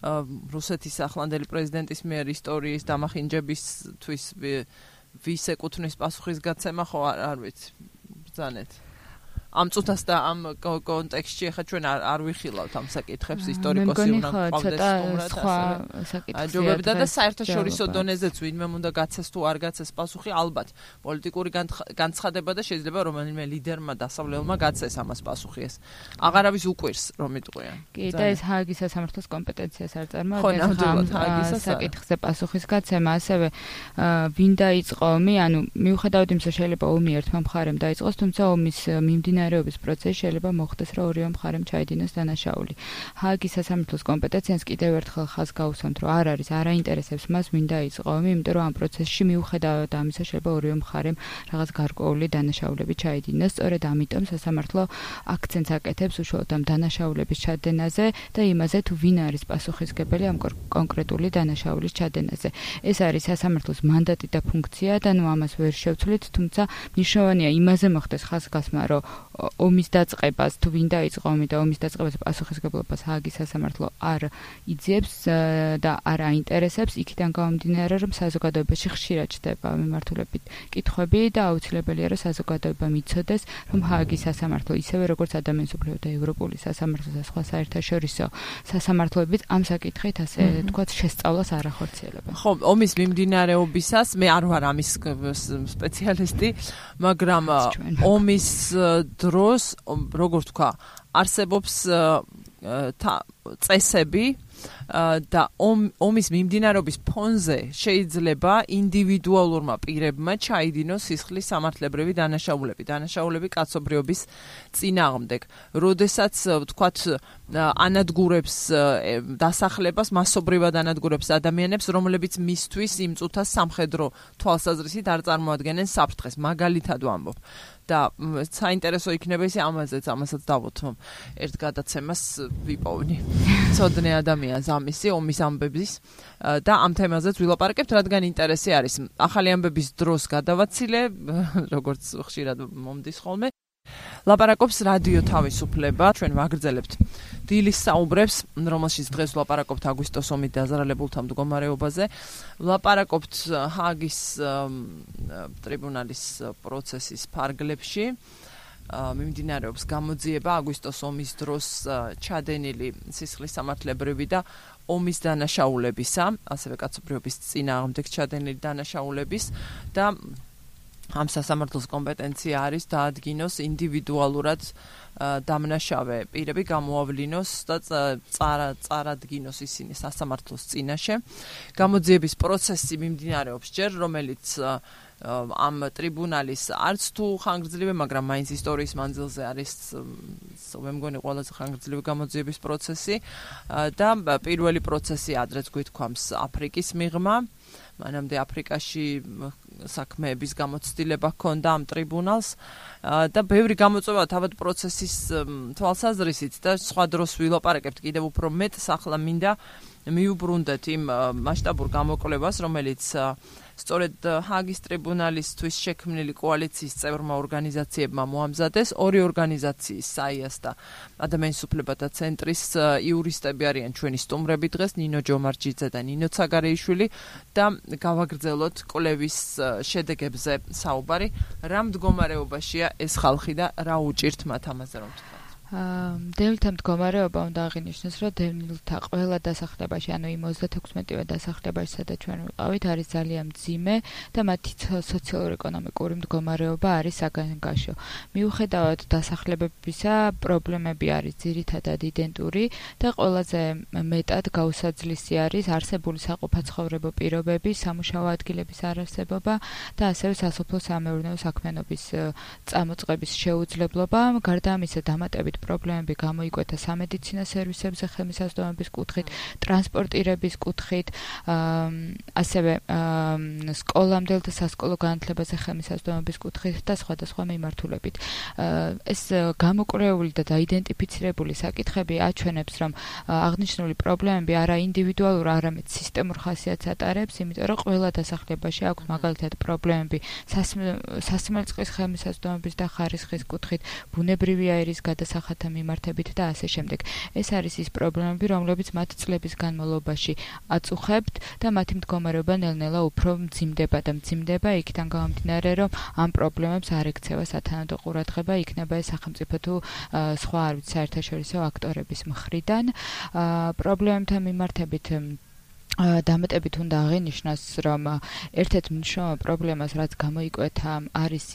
რუსეთის ახლანდელი პრეზიდენტის მიერ ისტორიის დამახინჯებისთვის ვის ეკუთვნის პასუხისგაცემა ხო არ ვიცი ბრძანეთ ამ წუთას და ამ კონტექსტში ახლა ჩვენ არ ვიხილავთ ამ საკითხებს ისტორიკოსი უნდა ყავდეს სტუმრად ჯობებდა და საერთაშორისო დონეზეც ვინმე უნდა გაცეს თუ არ გაცეს პასუხი ალბათ პოლიტიკური განცხადება და შეიძლება რომელიმე ლიდერმა დასავლელმა გაცეს ამას პასუხი ეს აღარავის უკვირს რომ იტყვიან კი და ეს ჰააგის სასამართლოს კომპეტენციას არ წარმოადგენს საკითხზე პასუხისგაცემა ასევე ვინ დაიწყო ომი ანუ მიუხედავად იმისა შეიძლება ომი ერთმა მხარემ დაიწყოს თუმცა ომის მიმდინარეობის პროცესში შეიძლება მოხდეს რომ ორივე მხარემ ჩაიდინოს დანაშაული. ჰააგის სასამართლოს კომპეტენციას კიდევ ერთხელ ხაზს გავუსვამთ რომ არ არის არაინტერესებს მას ვინ დაიწყო ომი იმიტომ რომ ამ პროცესში მიუხედავად ამისა შეიძლება ორივე მხარემ რაღაც გარკვეული დანაშაულები ჩაიდინოს სწორედ ამიტომ სასამართლო აქცენტს აკეთებს უშუალოდ ამ დანაშაულების ჩადენაზე და იმაზე თუ ვინ არის პასუხისმგებელი ამ კონკრეტული დანაშაულის ჩადენაზე. ეს არის სასამართლოს მანდატი და ფუნქცია და ნუ ამას ვერ შევცვლით თუმცა მნიშვნელოვანია იმაზე მოხდეს ხაზგასმა რომ ომის დაწყებას თუ ვინ დაიწყო ომი და ომის დაწყებას პასუხისმგებლობას ჰააგის სასამართლო არ იძიებს და არ აინტერესებს იქიდან გამომდინარე რომ საზოგადოებაში ხშირად ჩდება მიმართულებით კითხვები და აუცილებელია რომ საზოგადოება მიცოდეს რომ ჰააგის სასამართლო ისევე როგორც ადამიანის უფლებათა და ევროპული სასამართლო და სხვა საერთაშორისო სასამართლოებიც ამ საკითხით ასე თქვათ შესწავლას არ ახორციელებენ. ხო, ომის მიმდინარეობისას მე არ ვარ ამის სპეციალისტი, მაგრამ ომის დროს როგორ თქვა არსებობს წესები და ომის მიმდინარეობის ფონზე შეიძლება ინდივიდუალურმა პირებმა ჩაიდინოს სისხლის სამართლებრივი დანაშაულები კაცობრიობის წინააღმდეგ. როდესაც ვთქვათ ანადგურებს დასახლებას მასობრივად ანადგურებს ადამიანებს, რომლებიც მისთვის იმ წუთას სამხედრო თვალსაზრისით არ წარმოადგენენ საფრთხეს, მაგალითად ვამბობ. და საინტერესო იქნება ისე ამასაც დავუთმობ. ერთ გადაცემას ვიპოვნი. ცოდნე ადამიანს ამისი ომის ამბების და ამ თემაზეც ვილაპარაკებთ, რადგან ინტერესი არის. ახალი ამბების დროს გადავაცილე, როგორც ხშირად მომდის ხოლმე. ლაპარაკობს რადიო თავისუფლება, ჩვენ ვაგრძელებთ დილის საუბრებს, რომელშიც დღეს ვლაპარაკობთ აგვისტოს ომით დაზარალებულთა მდგომარეობაზე. ვლაპარაკობთ ჰააგის ტრიბუნალის პროცესის ფარგლებში. მიმდინარეობს გამოძიება აგვისტოს ომის დროს ჩადენილი სისხლის სამართლებრივი და ომის დანაშაულებისა, ასევე კაცობრიობის წინააღმდეგ ჩადენილი დანაშაულების და ამ სასამართლოს კომპეტენცია არის დაადგინოს ინდივიდუალურად დამნაშავე პირები გამოავლინოს და წარადგინოს ისინი სასამართლოს წინაშე. გამოძიების პროცესი მიმდინარეობს ჯერ, რომელიც ამ ტრიბუნალის არც თუ ხანგრძლივი, მაგრამ მაინც ისტორიის მანძილზე არის მე მგონი ყველაზე ხანგრძლივი გამოძიების პროცესი და პირველი პროცესი ადრეც გვითქვამს აფრიკის მიღმა. მანამდე აფრიკაში საქმეების გამოცდილება ჰქონდა ამ ტრიბუნალს და ბევრი გამოწვევა თავად პროცესის თვალსაზრისით და სხვა დროს ვილაპარაკებთ კიდევ უფრო მეტს ახლა მინდა მიუბრუნდეთ იმ მასშტაბურ გამოკვლევას, რომელიც სწორედ ჰააგის ტრიბუნალისთვის შექმნილი კოალიციის წევრმა ორგანიზაციებმა მოამზადეს. ორი ორგანიზაციის საიას და ადამიანის უფლებათა ცენტრის იურისტები არიან ჩვენი სტუმრები დღეს, ნინო ჯომარჯიძე და ნინო ცაგარეიშვილი და გავაგრძელოთ კვლევის შედეგებზე საუბარი. რა მდგომარეობაშია ეს ხალხი და რა უჭირთ მათ ამაზე რომ თქვა? დევნილთა მდგომარეობა უნდა აღინიშნოს, რომ დევნილთა ყველა დასახლებაში, ანუ იმ 36-ვე დასახლებაში, სადაც ჩვენ ვიყავით, არის ძალიან მძიმე და მათი სოციალურ-ეკონომიკური მდგომარეობა არის საგანგაშო. მიუხედავად დასახლებებისა, პრობლემები არის ძირითადად იდენტური და ყველაზე მეტად გაუსაძლისი არის არსებული საყოფაცხოვრებო პირობები, სამუშაო ადგილების არარსებობა და ასევე სასოფლო-სამეურნეო საქმიანობის წამოწყების შეუძლებლობა. გარდა ამისა, დამატებით პრობლემები გამოიკვეთა სამედიცინო სერვისებზე ხელმისაწვდომების კუთხით, ტრანსპორტირების კუთხით, ასევე სკოლამდელ და სასკოლო განათლებაზე ხელმისაწვდომების კუთხით და სხვადასხვა მიმართულებით. ეს გამოკვლეული და დაიდენტიფიცირებული საკითხები აჩვენებს, რომ აღნიშნული პრობლემები არა ინდივიდუალურ, არამედ სისტემურ ხასიათს ატარებს, იმიტომ რომ ყველა დასახლებაში აქვს მაგალითად პრობლემები სასმელწყლის ხელმისაწვდომების და ხარისხის კუთხით, ბუნებრივი აირის გადასახადების სახალხოთა მიმართებით და ასე შემდეგ. ეს არის ის პრობლემები, რომლებიც მათ წლების განმავლობაში აწუხებთ და მათი მდგომარეობა ნელ-ნელა უფრო მძიმდება იქიდან გამომდინარე, რომ ამ პრობლემებს არ ექცევა სათანადო ყურადღება, იქნება ეს სახელმწიფო თუ სხვა არ ვიცი საერთაშორისო აქტორების მხრიდან. პრობლემებთან მიმართებით დამატებით უნდა აღინიშნოს, რომ ერთ-ერთ მნიშვნელოვან პრობლემას, რაც გამოიკვეთა, არის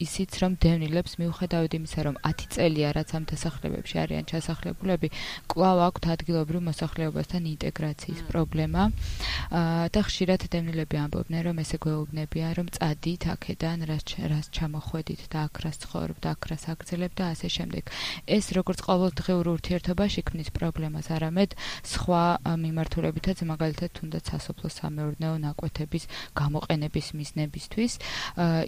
ისიც, რომ დევნილებს მიუხედავად იმისა, რომ 10 წელია, რაც ამ დასახლებებში არიან ჩასახლებულები, კვლავ აქვთ ადგილობრივ მოსახლეობასთან ინტეგრაციის პრობლემა და ხშირად დევნილები ამბობდნენ, რომ ესე გვეუბნებიან, რომ წადით აქედან, რას ჩამოხვედით და აქ რას ცხოვრობ და აქ რას აგრძელებთ და ასე შემდეგ. ეს როგორც ყოველდღიურ ურთიერთობაში ქმნის პრობლემას, არამედ სხვა მიმართულებითაც მაგალითად თუნდაც სასოფლო-სამეურნეო ნაკვეთების გამოყენების მიზნებისთვის,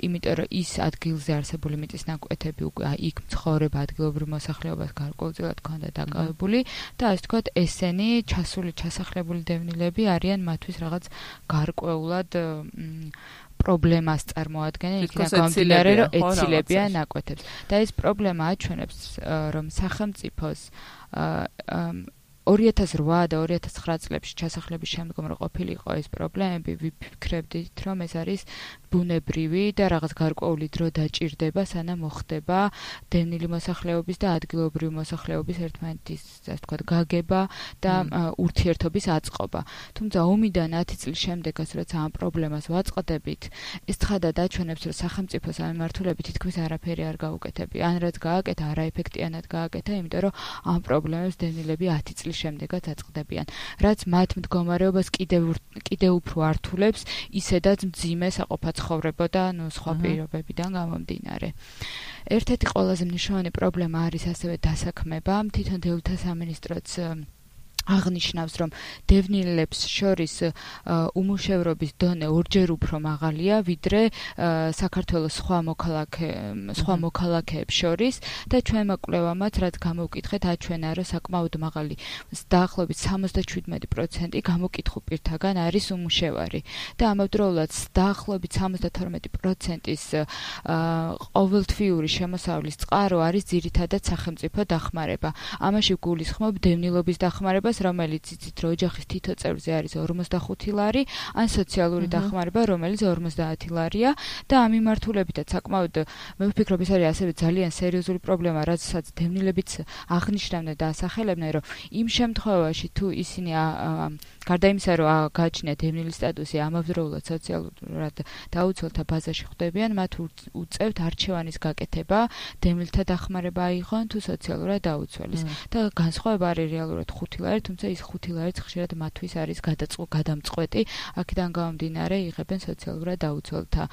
იმიტომ რომ ის ადგილზე არსებული მიწის ნაკვეთები უკვე იქ მცხოვრებ ადგილობრივ მოსახლეობას გარკვეულწილად ჰქონდა დაკავებული და ასე ვთქვათ, ესენი ჩასახლებული დევნილები არიან მათთვის რაღაც გარკვეულად პრობლემას წარმოადგენენ, იქიდან გამომდინარე, რომ ეცილებიან ნაკვეთებს. და ეს პრობლემა აჩვენებს, რომ სახელმწიფოს 2008 და 2009 წლებში ჩასახლების შემდგომ რო ყოფილიყო ეს პრობლემები, ვიფიქრებდით, რომ ეს არის ბუნებრივი და რაღაც გარკვეული დრო დაჭირდება, სანამ მოხდება დევნილი მოსახლეობის და ადგილობრივი მოსახლეობის ერთმანეთის, ასე ვთქვათ, გაგება და ურთიერთობის აწყობა. თუმცა ომიდან 10 წლის შემდეგაც, როცა ამ პრობლემას ვაწყდებით, ეს ცხადად აჩვენებს, რომ სახელმწიფოს ამ მიმართულებით თითქმის არაფერი არ გაუკეთებია. ან რაც გააკეთა, არაეფექტიანად გააკეთა, იმიტომ რომ ამ პრობლემებს დევნილები 10 წლის შემდეგაც აწყდებიან, რაც მათ მდგომარეობას კიდევ უფრო ართულებს, ისედაც მძიმე საყოფაცხოვრებო და სხვა პირობებიდან გამომდინარე. ერთ-ერთი ყველაზე მნიშვნელოვანი პრობლემა არის ასევე დასაქმება. თვითონ დევნილთა სამინისტროც აღნიშნავს, რომ დევნილებს შორის უმუშევრობის დონე ორჯერ უფრო მაღალია, ვიდრე საქართველოს სხვა მოქალაქეებს შორის და ჩვენმა კვლევამაც, რაც გამოვკითხეთ, აჩვენა, რომ საკმაოდ მაღალი, დაახლოებით 77% გამოკითხულ პირთაგან არის უმუშევარი და ამავდროულად დაახლოებით 72%-ის ყოველთვიური შემოსავლის წყარო არის ძირითადად სახელმწიფო დახმარება. ამაში გულისხმობ დევნილობის დახმარებას, რომელიც იცით, რომ ოჯახის თითო წევრზე არის 45 ლარი, ან სოციალური დახმარება, რომელიც 50 ლარია და ამ მიმართულებითაც საკმაოდ მე ვფიქრობ, ეს არის ასევე ძალიან სერიოზული პრობლემა, რადგან დევნილებიც აღნიშნავდნენ და ასახელებდნენ, რომ იმ შემთხვევაში თუ ისინი გარდა იმისა, რომ გააჩნიათ დევნილის სტატუსი, ამავდროულად სოციალურად დაუცველთა ბაზაში ხვდებიან, მათ უწევთ არჩევანის გაკეთება, დევნილთა დახმარება აიღონ თუ სოციალურად დაუცველის. და განსხვავება არის რეალურად 5 ლარი, თუმცა ის 5 ლარიც ხშირად მათთვის არის გადამწყვეტი, აქედან გამომდინარე იღებენ სოციალურად დაუცველთა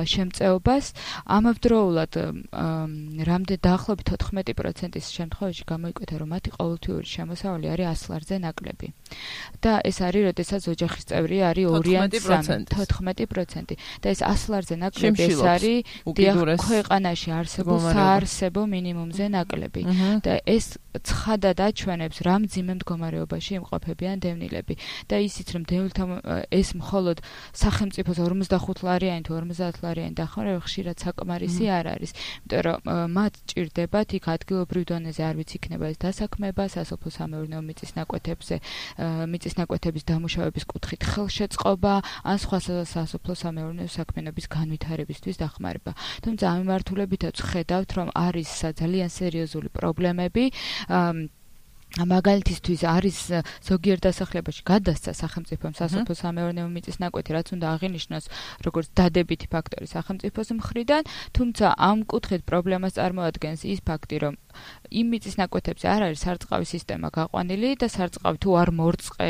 შემწეობას. ამავდროულად დაახლოებით 14%-ის შემთხვევაში გამოიკვეთა, რომ მათი ყოველთვიური შემოსავალი არის 100 ლარზე ნაკლები. და ეს არის, როდესაც ოჯახის წევრი არის 14%. და ეს 100 ლარზე ნაკლები ეს არის ქვეყანაში არსებულ საარსებო მინიმუმზე ნაკლები. და ეს ცხადად აჩვენებს, რა მძიმე მდგომარეობაში იმყოფებიან დევნილები. და ისიც, რომ დევნილთა ეს მხოლოდ სახელმწიფოს 45 ლარიანი თუ 50 ლარიანი დახმარება ხშირად საკმარისი არ არის. იმიტომ რომ მათ ჭირდებათ იქ ადგილობრივ დონეზე არ ვიცი იქნება ეს დასაქმება, სასოფლო-სამეურნეო მიწის ნაკვეთების დამუშავების კუთხით ხელშეწყობა, ან სხვა სასოფლო-სამეურნეო საქმიანობის განვითარებისთვის დახმარება. თუმცა ამ მიმართულებითაც ხედავთ, რომ არის ძალიან სერიოზული პრობლემები. მაგალითისთვის არის ზოგიერთ დასახლებაში გადასცა სახელმწიფომ სასოფლო-სამეურნეო მიწის ნაკვეთი, რაც უნდა აღინიშნოს როგორც დადებითი ფაქტორი სახელმწიფოს მხრიდან, თუმცა ამ კუთხით პრობლემას წარმოადგენს ის ფაქტი, რომ იმ მიწის ნაკვეთებზე არ არის სარწყავი სისტემა გაყვანილი და სარწყავი თუ არ მორწყე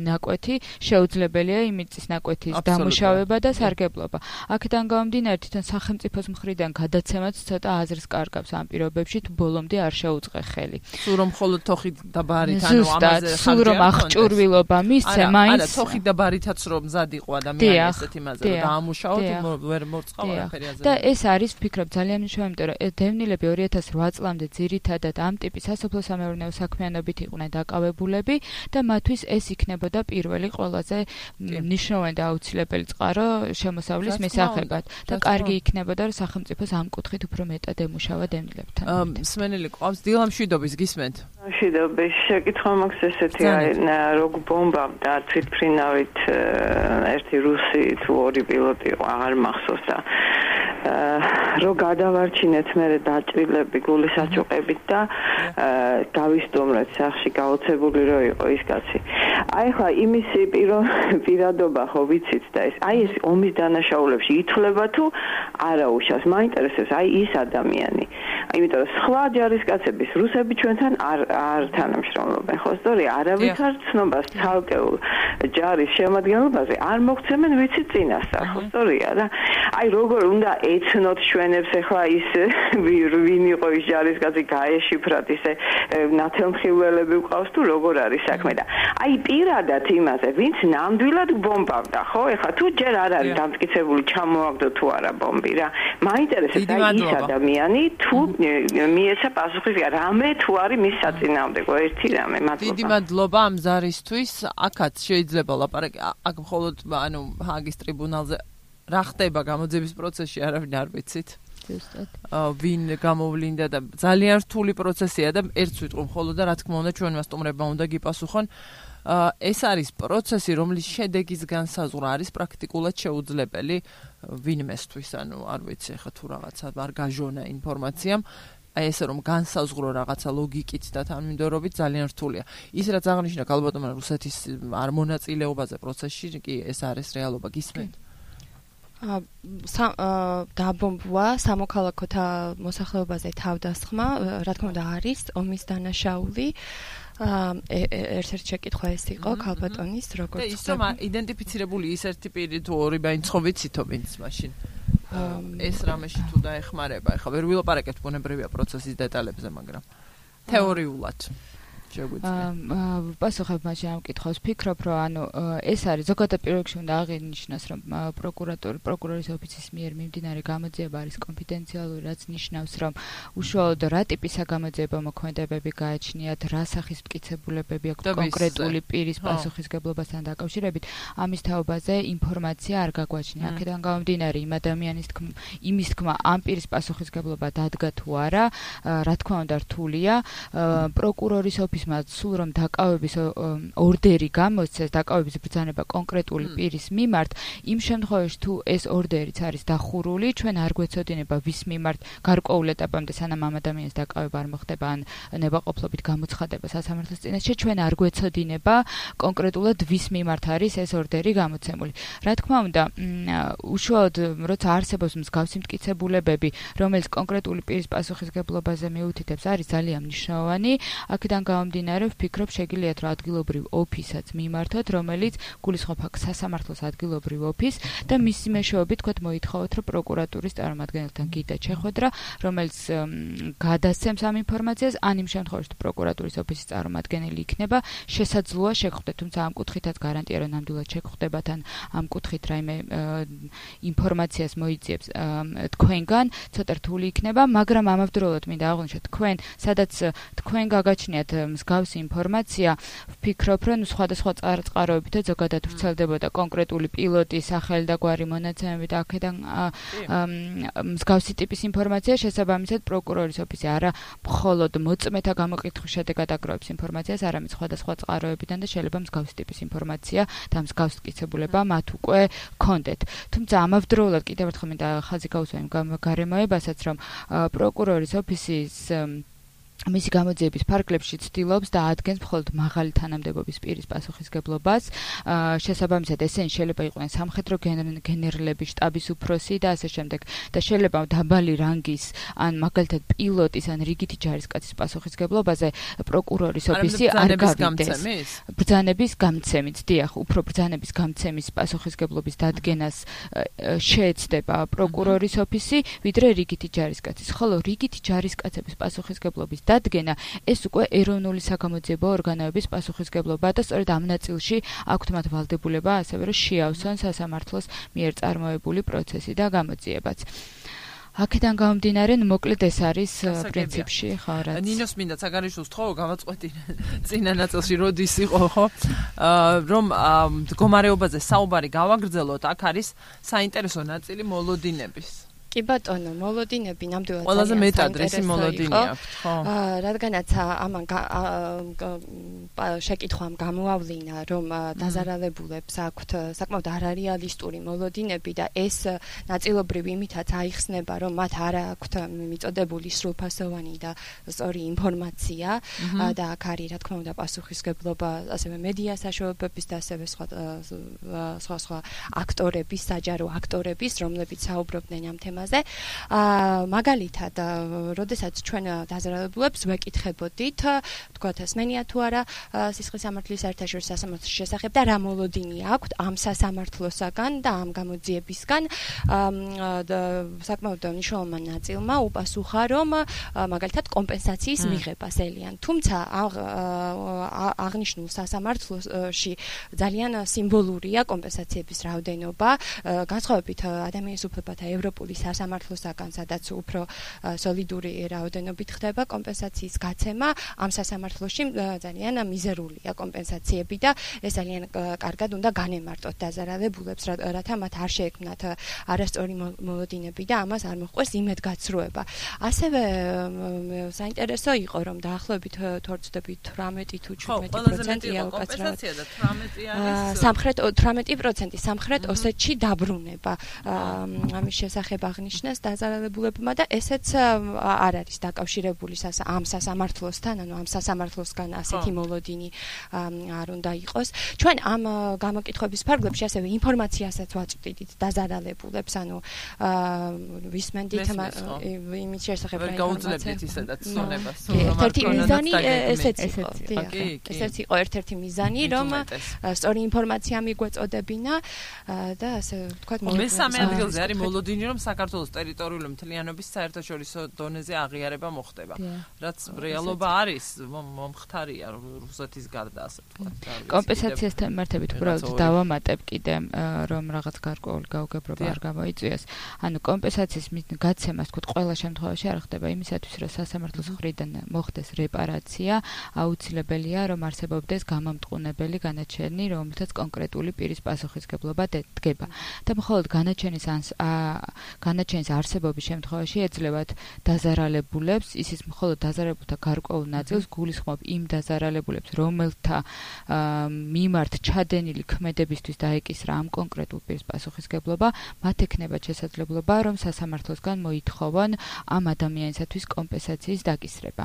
ნაკვეთი, შეუძლებელია იმ მიწის ნაკვეთის დამუშავება და სარგებლობა. აქედან გამომდინარე, თვითონ სახელმწიფოს მხრიდან გადაცემაც ცოტა აზრს კარგავს ამ პირობებში, თუ ბოლომდე არ შეუწყე ხელი. სულ რომ მხოლოდ თოხი და ბარით, ანუ ამაზე სულ რომ აღჭურვილობა მისცე, მაინც არა, თოხი და ბარითაც რომ მზად იყო ადამიანი ესეთ იმაზე, რომ დაამუშავოთ, ვერ მორწყავ არაფერი აზრი. და ეს არის, ვფიქრობ, ძალიან მნიშვნელოვანი, იმიტომ რომ დევნილები 2008 წლამდე ძირითადად ამ ტიპის სასოფლო-სამეურნეო საქმიანობით იყვნენ დაკავებულები და მათთვის ეს იქნებოდა პირველი ყველაზე მნიშვნელოვანი და აუცილებელი წყარო შემოსავლის მისაღებად და კარგი იქნებოდა რომ სახელმწიფოს ამ კუთხით უფრო მეტად ემუშავა დემნილებთან. მსმენელი ყავს დილა მშვიდობის გისმენთ. მშვიდობის შეკითხვა მაქვს ესეთი როგორ ბომბავდა თვითმფრინავით ერთი რუსი თუ ორი პილოტი აღარ მახსოვს და რო გადავარჩინეთ მე დაჭრილები გულის აჭუყებით და გავისტუმრეთ სახში გაოცებული რო იყო ის კაცი. აი ხა იმის პირადობა ხო ვიცით და ეს აი ეს ომის დანაშაულებში ითვლება თუ არა უშავს მაინტერესებს აი ის ადამიანი. იმიტომ რომ სხვა ჯარისკაცების რუსები ჩვენთან არ თანამშრომლობენ ხო სწორია არავითარ ცნობას ცალკეულ ჯარის შემადგენლობაზე არ მოგცემენ ვიცით წინასწარ ხო სწორია და აი როგორ უნდა ეცნოთ ჩვენებს ახლა ის ვინ იყო ის ჯარისკაცი გაეშიფრათ ისე ნათელმხილველები ვყავს თუ როგორ არის საქმე და აი პირადად იმაზე ვინც ნამდვილად ბომბავდა ხო ახლა თუ ჯერ არ არის დამტკიცებული ჩამოაგდო თუ არა ბომბი რა მაინტერესებს აი ის ადამიანი თუ მიეცა პასუხი რამე თუ არის მის საწინააღმდეგო ერთი რამე მადლობა დიდი მადლობა ამ ზარისთვის აქაც შეიძლება ლაპარაკი აქ მხოლოდ ანუ ჰაგის ტრიბუნალზე რა ხდება გამოძიების პროცესში არავინ არ ვიცით ვინ გამოვლინდა და ძალიან რთული პროცესია და ერთს ვიტყვი მხოლოდ და რა თქმა უნდა ჩვენმა სტუმრებმა უნდა გიპასუხონ ეს არის პროცესი რომლის შედეგის განსაზღვრა არის პრაქტიკულად შეუძლებელი ვინმესთვის ანუ არ ვიცი ხა თუ რაღაცა არ გაჟონა ინფორმაციამ აი ესე რომ განსაზღვრო რაღაცა ლოგიკით და თანმიმდევრობით ძალიან რთულია. ის რაც აღნიშნა ქალბატონმა რუსეთის არ მონაწილეობაზე პროცესში კი ეს არის რეალობა გისმენთ. დაბომბვა სამოქალაქოთა მოსახლეობაზე თავდასხმა რა თქმა უნდა არის ომის დანაშაული ერთ-ერთი შეკითხვა ეს იყო ქალბატონის როგორც და ის რომ იდენტიფიცირებული ის ერთი პირი თუ ორი ბაინცხო ვიცითო ვინც მაშინ ეს რამეში თუ დაეხმარება ახლა ვერ ვილაპარაკეთ ბუნებრივია პროცესის დეტალებზე მაგრამ თეორიულად პასუხებ მაშინ ამ კითხვას ვფიქრობ რომ ანუ ეს არის ზოგადად პირველ რიგში უნდა აღინიშნოს რომ პროკურორის ოფისის მიერ მიმდინარე გამოძიება არის კონფიდენციალური რაც ნიშნავს რომ უშუალოდ რა ტიპის გამოძიება მოქმედებები გააჩნიათ რა სახის მტკიცებულებები აქვს კონკრეტული პირის პასუხისგებლობასთან დაკავშირებით ამის თაობაზე ინფორმაცია არ გაგვაჩნია აქედან გამომდინარე იმ ადამიანის იმის თქმა ამ პირის პასუხისგებლობა დადგა თუ არა რა თქმა უნდა რთულია პროკურორის ოფისმა სულ რომ დაკავების ორდერი გამოსცეს დაკავების ბრძანება კონკრეტული პირის მიმართ იმ შემთხვევაში თუ ეს ორდერიც არის დახურული ჩვენ არ გვეცოდინება ვის მიმართ გარკვეულ ეტაპამდე სანამ ამ ადამიანის დაკავება არ მოხდება ან ნებაყოფლობით გამოცხადება სასამართლოს წინაშე ჩვენ არ გვეცოდინება კონკრეტულად ვის მიმართ არის ეს ორდერი გამოცემული რა თქმა უნდა უშუალოდ როცა არსებობს მსგავსი მტკიცებულებები რომელიც კონკრეტული პირის პასუხისგებლობაზე მიუთითებს არის ძალიან მნიშვნელოვანი აქედან გამომდინარე ვფიქრობ შეგიძლიათ რა ადგილობრივ ოფისაც მიმართოთ რომელიც გულისხმობ აქ სასამართლოს ადგილობრივ ოფისს და მისი მეშვეობით თქვათ მოითხოვოთ რომ პროკურატურის წარმომადგენელთან გიდა ჩეხვედრა რომელიც გადასცემს ამ ინფორმაციას ან იმ შემთხვევაში თუ პროკურატურის ოფისის წარმომადგენელი იქნება შესაძლოა შეგხვდეთ თუმცა ამ კუთხითაც გარანტია რომ ნამდვილად შეგხვდებათ ან ამ კუთხით რაიმე ინფორმაციას მოიძიებს თქვენგან ცოტა რთული იქნება მაგრამ ამავდროულად მინდა აღვნიშნოთ თქვენ სადაც თქვენ გაგაჩნიათ მსგავსი ინფორმაცია ვფიქრობ რომ სხვადასხვა წყაროებით ზოგადად ვრცელდებოდა კონკრეტული პილოტის სახელი და გვარი მონაცემები და აქედან მსგავსი ტიპის ინფორმაცია შესაბამისად პროკურორის ოფისი არა მხოლოდ მოწმეთა გამოკითხვის შედეგად აგროვებს ინფორმაციას არამედ სხვადასხვა წყაროებიდან და შეიძლება მსგავსი ტიპის ინფორმაცია და მსგავსი მტკიცებულება მათ უკვე ჰქონდეთ თუმცა ამავდროულად კიდევ ერთხელ მინდა ხაზი გაუსვა იმ გარემოებასაც რომ პროკურორის ოფისის მისი გამოძიების ფარგლებში ცდილობს და ადგენს მხოლოდ მაღალი თანამდებობის პირის პასუხისგებლობას. შესაბამისად, ესენი შეიძლება იყვნენ სამხედრო გენერლების შტაბის უფროსი და ასე შემდეგ და შეიძლება დაბალი რანგის ან მაგალითად პილოტის ან რიგითი ჯარისკაცის პასუხისგებლობაზე პროკურორის ოფისი არ გავიდეს. ბრძანების გამცემით, დიახ, უფრო ბრძანების გამცემის პასუხისგებლობის დადგენას შეეცდება პროკურორის ოფისი, ვიდრე რიგითი ჯარისკაცის. ხოლო რიგითი ჯარისკაცების პასუხისგებლობის დადგენა ეს უკვე ეროვნული საგამოძიებო ორგანოების პასუხისგებლობა და სწორედ ამ ნაწილში აქვთ მათ ვალდებულება ასევე რომ შეავსონ სასამართლოს მიერ წარმოებული პროცესი და გამოძიებაც. აქედან გამომდინარე, მოკლედ ეს არის პრინციპში, ხო, რაც ნინოს მინდა საგარეშოს თხოვო გამაწყვეტი წინა ნაწილში როდის იყო, ხო? რომ მდგომარეობაზე საუბარი გავაგრძელოთ, აქ არის საინტერესო ნაწილი მოლოდინების. კი ბატონო, მოლოდინები ნამდვილად ყველაზე მეტად ეს მოლოდინი აქვს, ხო? რადგანაც ამან შეკითხვამ გამოავლინა, რომ დაზარალებულებს აქვთ საკმაოდ არარეალისტური მოლოდინები და ეს ნაწილობრივ იმითაც აიხსნება, რომ მათ არ აქვთ მიწოდებული სრულფასოვანი და სწორი ინფორმაცია და აქ არის, რა თქმა უნდა, პასუხისგებლობა ასევე მედია საშუალებების და ასევე სხვა აქტორების, საჯარო აქტორების, რომლებიც საუბრობდნენ ამ თემაზე. მაგალითად, როდესაც ჩვენ დაზარალებულებს ვეკითხებოდით, თქვათ, ესმენია თუ არა სისხლის სამართლის საერთაშორისო სასამართლოს შესახებ და რა მოლოდინი აქვთ ამ სასამართლოსაგან და ამ გამოძიებისგან, საკმაოდ მნიშვნელოვან ნაწილმა უპასუხა, რომ მაგალითად კომპენსაციის მიღებას ელიან. თუმცა აღნიშნულ სასამართლოში ძალიან სიმბოლურია კომპენსაციების რაოდენობა, განსხვავებით ადამიანის უფლებათა ევროპული სასამართლოსაგან, სადაც უფრო სოლიდური რაოდენობით ხდება კომპენსაციის გაცემა, ამ სასამართლოში ძალიან მიზერულია კომპენსაციები და ეს ძალიან კარგად უნდა განემარტოთ დაზარალებულებს, რათა მათ არ შეექმნათ არასწორი მოლოდინები და ამას არ მოჰყვეს იმედგაცრუება. ასევე საინტერესო იყო, რომ დაახლოებით 18 თუ 17% კომპენსაცია და 18 არის სამხრეთ ოსეთში დაბრუნება. ამის შესახებ აღნიშნეს დაზარალებულებმა და ესეც არ არის დაკავშირებული ამ სასამართლოსთან, ანუ ამ სასამართლოსგან ასეთი მოლოდინი არ უნდა იყოს. ჩვენ ამ გამოკითხვების ფარგლებში ასევე ინფორმაციასაც ვაწვდით დაზარალებულებს, ანუ ვისმენდით იმის შესახებ რა გაუძლებდით ისედაც ცნობას. ერთ-ერთი მიზანი ესეც იყო. ესეც იყო ერთ-ერთი მიზანი, რომ სწორი ინფორმაცია მიგვეწოდებინა და ასე ვთქვათ, მესამე ადგილზე არის მოლოდინი, რომ საქართველოს ტერიტორიული მთლიანობის საერთაშორისო დონეზე აღიარება მოხდება. რაც რეალობა არის, მომხდარია რუსეთის გარდა, ასე ვთქვათ. კომპენსაციასთან მიმართებით უბრალოდ დავამატებ კიდე, რომ რაღაც გარკვეული გაუგებრობა არ გამოიწვიოს. ანუ კომპენსაციის გაცემას, თქო, ყველა შემთხვევაში არ ხდება იმისათვის, რომ სასამართლოს მხრიდან მოხდეს რეპარაცია, აუცილებელია, რომ არსებობდეს გამამტყუნებელი განაჩენი, რომელთაც კონკრეტული პირის პასუხისგებლობა დგება. და მხოლოდ განაჩენის არსებობის შემთხვევაში ეძლევათ დაზარალებულებს, ისიც მხოლოდ დაზარალებულთა გარკვეულ ნაწილს გულისხმობ იმ დაზარალებულებს, რომელთა მიმართ ჩადენილი ქმედებისთვის დაეკისრა ამ კონკრეტულ პირის პასუხისგებლობა, მათ ექნებათ შესაძლებლობა, რომ სასამართლოსგან მოითხოვონ ამ ადამიანისათვის კომპენსაციის დაკისრება.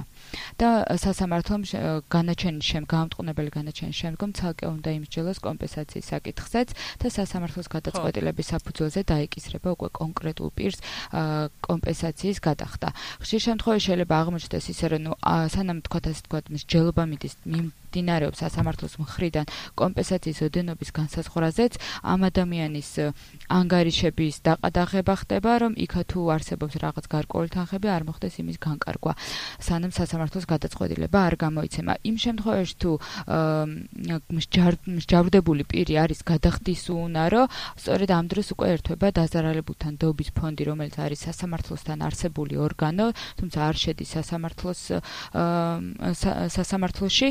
და სასამართლომ გამამტყუნებელი განაჩენის შემდგომ ცალკე უნდა იმსჯელოს კომპენსაციის საკითხზეც და სასამართლოს გადაწყვეტილების საფუძველზე დაეკისრება უკვე კონკრეტულ პირს კომპენსაციის გადახდა. ხშირ შემთხვევაში შეიძლება აღმოჩნდეს ისე, რომ სანამ თქვათ მსჯელობა მიმდინარეობს სასამართლოს მხრიდან კომპენსაციის ოდენობის განსაზღვრაზეც ამ ადამიანის ანგარიშების დაყადაღება ხდება, რომ იქა თუ არსებობს რაღაც გარკვეული თანხები, არ მოხდეს იმის განკარგვა, სანამ სასამართლოს გადაწყვეტილება არ გამოიცემა. იმ შემთხვევაში თუ მსჯავრდებული პირი არის გადახდის უუნარო, სწორედ ამ დროს უკვე ერთვება დაზარალებულთან დობის ფონდი, რომელიც არის სასამართლოსთან არსებული ორგანო, თუმცა არ შედის სასამართლოში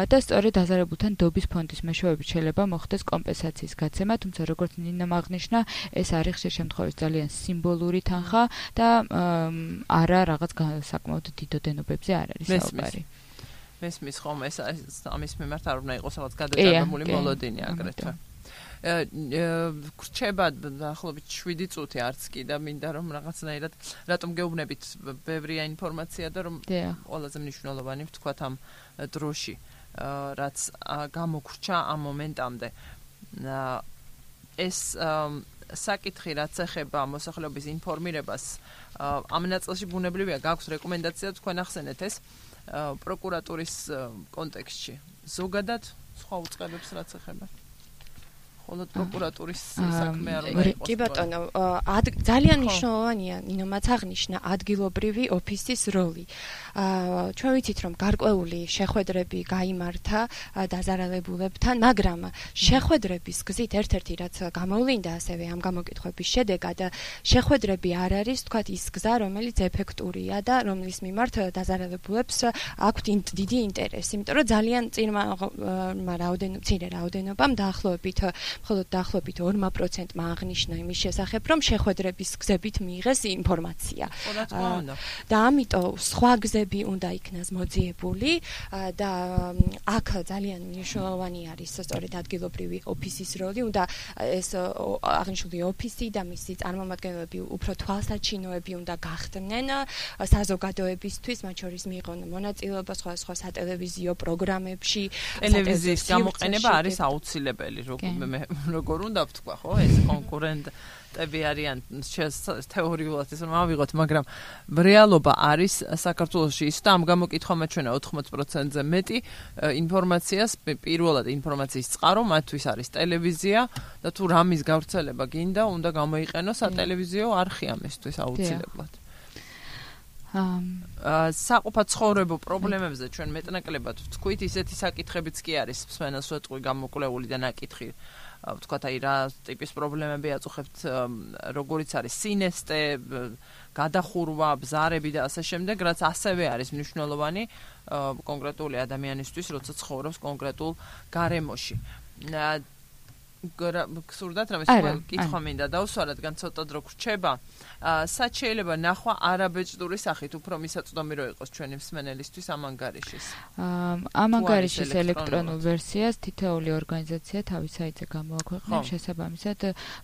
და სწორედ დაზარალებულთან დობის ფონდის მეშვეობით შეიძლება მოხდეს კომპენსაციის გაცემა, თუმცა როგორც ნინამ აღნიშნა, ეს არის ხშირ შემთხვევაში ძალიან სიმბოლური თანხა და არა რაღაც საკმაოდ დიდ ოდენობებზე არ არის საუბარი. მესმის ხომ ეს ამის მიმართ არ უნდა იყოს რაღაც გადაჭარბებული მოლოდინი აგრეთვე. გრჩება დაახლოებით 7 წუთი არც კი და მინდა რომ რაღაცნაირად რატომ გეუბნებით ბევრია ინფორმაცია და რომ ყველაზე მნიშვნელოვანი ვთქვათ ამ დროში რაც გამოგრჩა ამ მომენტამდე ეს საკითხი რაც ეხება მოსახლეობის ინფორმირებას ამ ნაწილში ბუნებრივია გაქვს რეკომენდაცია თქვენ ახსენეთ ეს პროკურატურის კონტექსტში ზოგადად სხვა უწყებებს რაც ეხება მხოლოდ პროკურატურის საქმეა რომ კი ბატონო, ძალიან მნიშვნელოვანია ნინომაც აღნიშნა ადგილობრივი ოფისის როლი. ჩვენ ვიცით რომ გარკვეული შეხვედრები გაიმართა დაზარალებულებთან, მაგრამ შეხვედრების გზით ერთ-ერთი რაც გამოვლინდა ასევე ამ გამოკითხვების შედეგად, შეხვედრები არ არის თქვათ ის გზა, რომელიც ეფექტურია და რომლის მიმართ დაზარალებულებს აქვთ დიდი ინტერესი, იმიტომ რომ ძალიან მცირე რაოდენობამ მხოლოდ დაახლოებით 2%-მა აღნიშნა იმის შესახებ, რომ შეხვედრების გზებით მიიღეს ინფორმაცია. და ამიტომ სხვა გზები უნდა იქნას მოძიებული და აქ ძალიან მნიშვნელოვანი არის სწორედ ადგილობრივი ოფისის როლი, უნდა ეს აღნიშნული ოფისი და მისი წარმომადგენლები უფრო თვალსაჩინოები უნდა გახდნენ საზოგადოებისთვის, მათ შორის მიიღონ მონაწილეობა სხვა სატელევიზიო პროგრამებში. ტელევიზიის გამოყენება არის აუცილებელი, როგორ უნდა ვთქვა, ხო, ეს კონკურენტები არიან თეორიულად ეს რომ ავიღოთ, მაგრამ რეალობა არის საქართველოში ის და ამ გამოკითხვამ ჩვენა 80%-ზე მეტი ინფორმაციას, პირველად ინფორმაციის წყარო მათთვის არის ტელევიზია და თუ რამის გავრცელება გინდა, უნდა გამოიყენოს სატელევიზიო არხი ამისთვის აუცილებლად. საყოფაცხოვრებო პრობლემებზე ჩვენ მეტნაკლებად ვთქვით, ისეთი საკითხებიც კი არის მსმენელს ვეტყვი გამოკვლეული და ნაკითხი, ვთქვათ, აი რა ტიპის პრობლემები აწუხებთ, როგორიც არის სინესტე, გადახურვა, ბზარები და ასე შემდეგ, რაც ასევე არის მნიშვნელოვანი კონკრეტული ადამიანისთვის, როცა ცხოვრობს კონკრეტულ გარემოში. გსურდათ რამე კითხვა მინდა დავსვა, რადგან ცოტა დრო გრჩება. სად შეიძლება ნახვა არაბეჭდური სახით, უფრო მისაწვდომი რო იყოს ჩვენი მსმენელისთვის ამ ანგარიშის? ამ ანგარიშის ელექტრონულ ვერსიას თითოეული ორგანიზაცია თავის საიტზე გამოაქვეყნებს, შესაბამისად,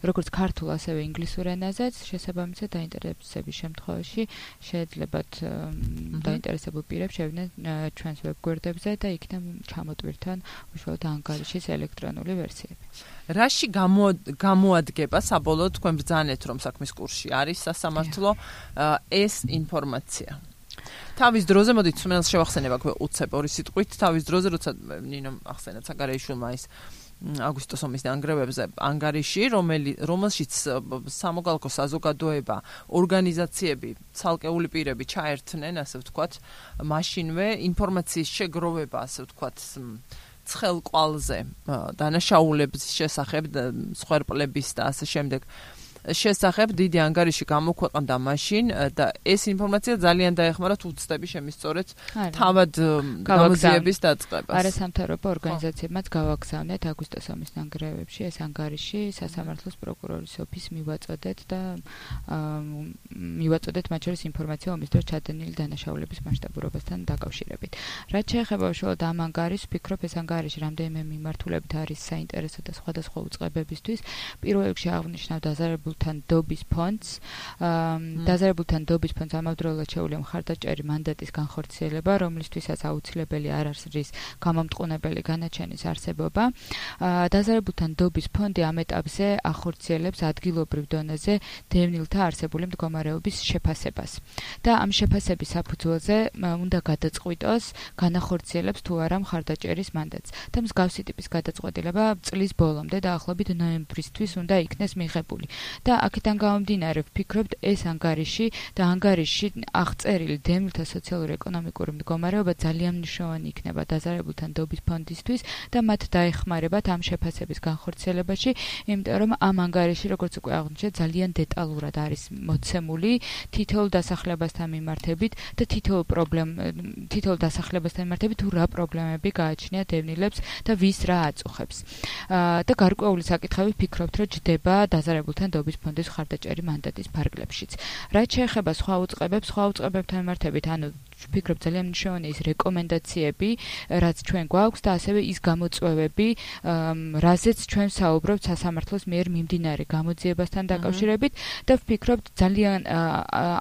როგორც ქართულ, ასევე ინგლისურ ენაზეც, შესაბამისად დაინტერესების შემთხვევაში შეეძლებათ დაინტერესებულ პირებს შევიდნენ ჩვენს ვებგვერდებზე და იქიდან ჩამოტვირთონ უშუალოდ ანგარიშის ელექტრონული ვერსიები. რაში გამოადგება საბოლოოდ თქვენ ბრძანეთ რომ საქმის კურსში არის სასამართლო ეს ინფორმაცია. თავის დროზე მოდით მსმენელს შევახსენებ აქვე უცებ ორი სიტყვით, თავის დროზე როცა ნინომ ახსენეთ საგარეიშვილმა ის აგვისტოს ომის ნანგრევებზე ანგარიში, რომელშიც სამოქალაქო საზოგადოება, ორგანიზაციები, ცალკეული პირები ჩაერთნენ, ასე ვთქვათ, მაშინვე ინფორმაციის შეგროვება, ასე ვთქვათ, ცხელყვალზე დანაშაულების შესახებ, სხვერპლების და ასე შემდეგ შესახებ დიდი ანგარიში გამოქვეყნდა მაშინ და ეს ინფორმაცია ძალიან დაეხმარა უცდები შემისწორეთ თავად გამოძიების დაწყებას. არასამთავრობო ორგანიზაციებმაც გავაგზავნეთ აგვისტოს ომის ნანგრევებში ეს ანგარიში სასამართლოს პროკურორის ოფისს მივაწოდეთ და მივაწოდეთ მათ შორის ინფორმაცია ომის დროს ჩადენილი დანაშაულების მასშტაბურობასთან დაკავშირებით. რაც შეეხება უშუალოდ ამ ანგარიშს, ვფიქრობ ეს ანგარიში რამდენიმე მიმართულებით არის საინტერესო და სხვადასხვა უწყებებისთვის. პირველ რიგში აღნიშნავ დაზარებულ დობის ფონდს. დაზარებულთან დობის ფონდს ამავდროულად შეუძლია მხარდაჭერი მანდატის განხორციელება, რომლისთვისაც აუცილებელი არ არის გამომტყუნებელი განაჩენის არსებობა. დაზარებულთან დობის ფონდი ამ ეტაპზე ახორციელებს ადგილობრივ დონეზე დევნილთა არსებული მდგომარეობის შეფასებას. და ამ შეფასების საფუძველზე უნდა გადაწყვიტოს, განახორციელებს თუ არა მხარდაჭერის მანდატს. და მსგავსი ტიპის გადაწყვეტილება წლის ბოლომდე დაახლოებით ნოემბრისთვის უნდა იქნეს მიღებული. და აქედან გამომდინარე ვფიქრობთ ეს ანგარიში და ანგარიში აღწერილი დევნილთა სოციალურ-ეკონომიკური მდგომარეობა ძალიან მნიშვნელოვანი იქნება დაზარებულთან დობის ფონდისთვის და მათ დაეხმარებათ ამ შეფასების განხორციელებაში, იმიტომ რომ ამ ანგარიში, როგორც უკვე აღნიშნეთ, ძალიან დეტალურად არის მოცემული თითოეულ დასახლებასთან მიმართებით და თითოეულ დასახლებასთან მიმართებით თუ რა პრობლემები გააჩნია დევნილებს და ვის რა აწუხებს. და გარკვეული საკითხები ვფიქრობთ, რომ ჯდება დაზარებულთან დობის ფონდის მხარდაჭერი მანდატის ფარგლებშიც. რაც შეეხება სხვა უწყებებთან მიმართებით, ანუ ვფიქრობ ძალიან მნიშვნელოვანია ის რეკომენდაციები, რაც ჩვენ გვაქვს და ასევე ის გამოწვევები, რაზეც ჩვენ საუბრობთ სასამართლოს მიერ მიმდინარე გამოძიებასთან დაკავშირებით და ვფიქრობ ძალიან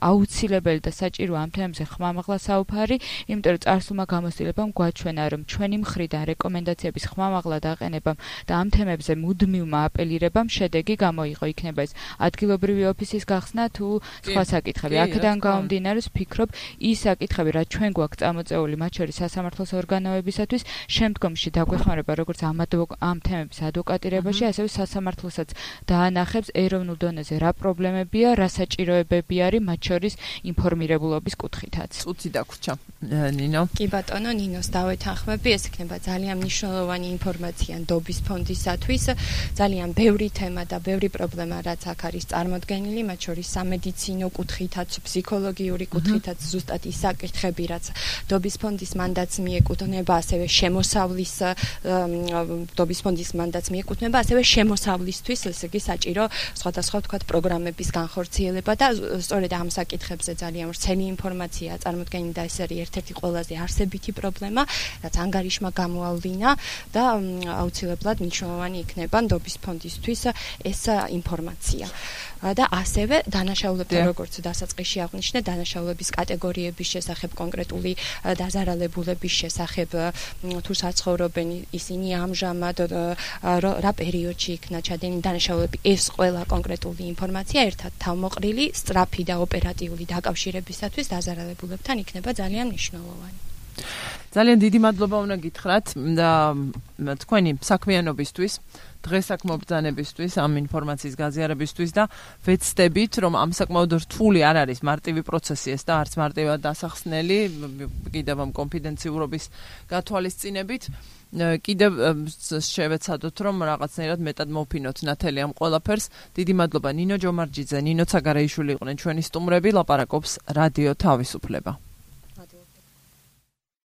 აუცილებელი და საჭირო ამ თემებზე ხმამაღლა საუბარი, იმიტომ რომ წარსულმა გამოცდილებამ გვაჩვენა, რომ ჩვენი მხრიდან რეკომენდაციების ხმამაღლა დაყენებამ და ამ თემებზე მუდმივმა აპელირებამ შედეგი გამოიღო, იქნება ეს ადგილობრივი ოფისის გახსნა თუ სხვა საკითხები. აქედან გამომდინარე ვფიქრობ ის საკითხები რაც ჩვენ გვაქვს წამოწეული მათ შორის სასამართლოს ორგანოებისათვის, შემდგომში დაგვეხმარება როგორც ამ თემების ადვოკატირებაში, ასევე სასამართლოსაც დაანახებს ეროვნულ დონეზე რა პრობლემებია, რა საჭიროებები არის მათ შორის ინფორმირებულობის კუთხითაც. წუთი დაგვრჩა. ნინო. კი ბატონო, ნინოს დავეთანხმები, ეს იქნება ძალიან მნიშვნელოვანი ინფორმაცია ნდობის ფონდისათვის, ძალიან ბევრი თემა და ბევრი პრობლემა რაც აქ არის წარმოდგენილი, მათ შორის სამედიცინო კუთხითაც, ფსიქოლოგიური კუთხითაც, ზუსტად ის საკითხები, რაც ნდობის ფონდის მანდატს მიეკუთვნება, ასევე შემოსავლის ნდობის ფონდის მანდატს მიეკუთვნება, ასევე შემოსავლისთვის, ესე იგი საჭირო სხვადასხვა ვთქვათ პროგრამების განხორციელება და სწორედ ამ საკითხებზე ძალიან ვრცელი ინფორმაცია წარმოდგენილი და ეს არის ერთ-ერთი ყველაზე არსებითი პრობლემა, რაც ანგარიშმა გამოავლინა და აუცილებლად მნიშვნელოვანი იქნება ნდობის ფონდისთვის ეს ინფორმაცია. და ასევე დანაშაულებთან როგორც დასაწყისში აღვნიშნე, დანაშაულების კატეგორიების შესახებ, კონკრეტული დაზარალებულების შესახებ, თუ საცხოვრობენ ისინი ამჟამად რა პერიოდში იქნა ჩადენილი დანაშაულები, ეს ყველა კონკრეტული ინფორმაცია ერთად თავმოყრილი, სწრაფი და ოპერატიული დაკავშირებისათვის დაზარალებულებთან იქნება ძალიან მნიშვნელოვანი. ძალიან დიდი მადლობა უნდა გითხრათ და თქვენი საქმიანობისთვის, დღესაკ მობრძანებისთვის, ამ ინფორმაციის გაზიარებისთვის და ვეცდებით, რომ ამ საკმაოდ რთული არ არის მარტივი პროცესი ეს და არც მარტივად დასახსნელი, კიდევ ამ კონფიდენციურობის გათვალისწინებით, კიდევ შევეცადოთ, რომ რაღაცნაირად მეტად მოვფინოთ ნათელი ამ ყველაფერს. დიდი მადლობა ნინო ჯომარჯიძე, ნინო ცაგარეიშვილი იყვნენ ჩვენი სტუმრები, ლაპარაკობს რადიო თავისუფლება.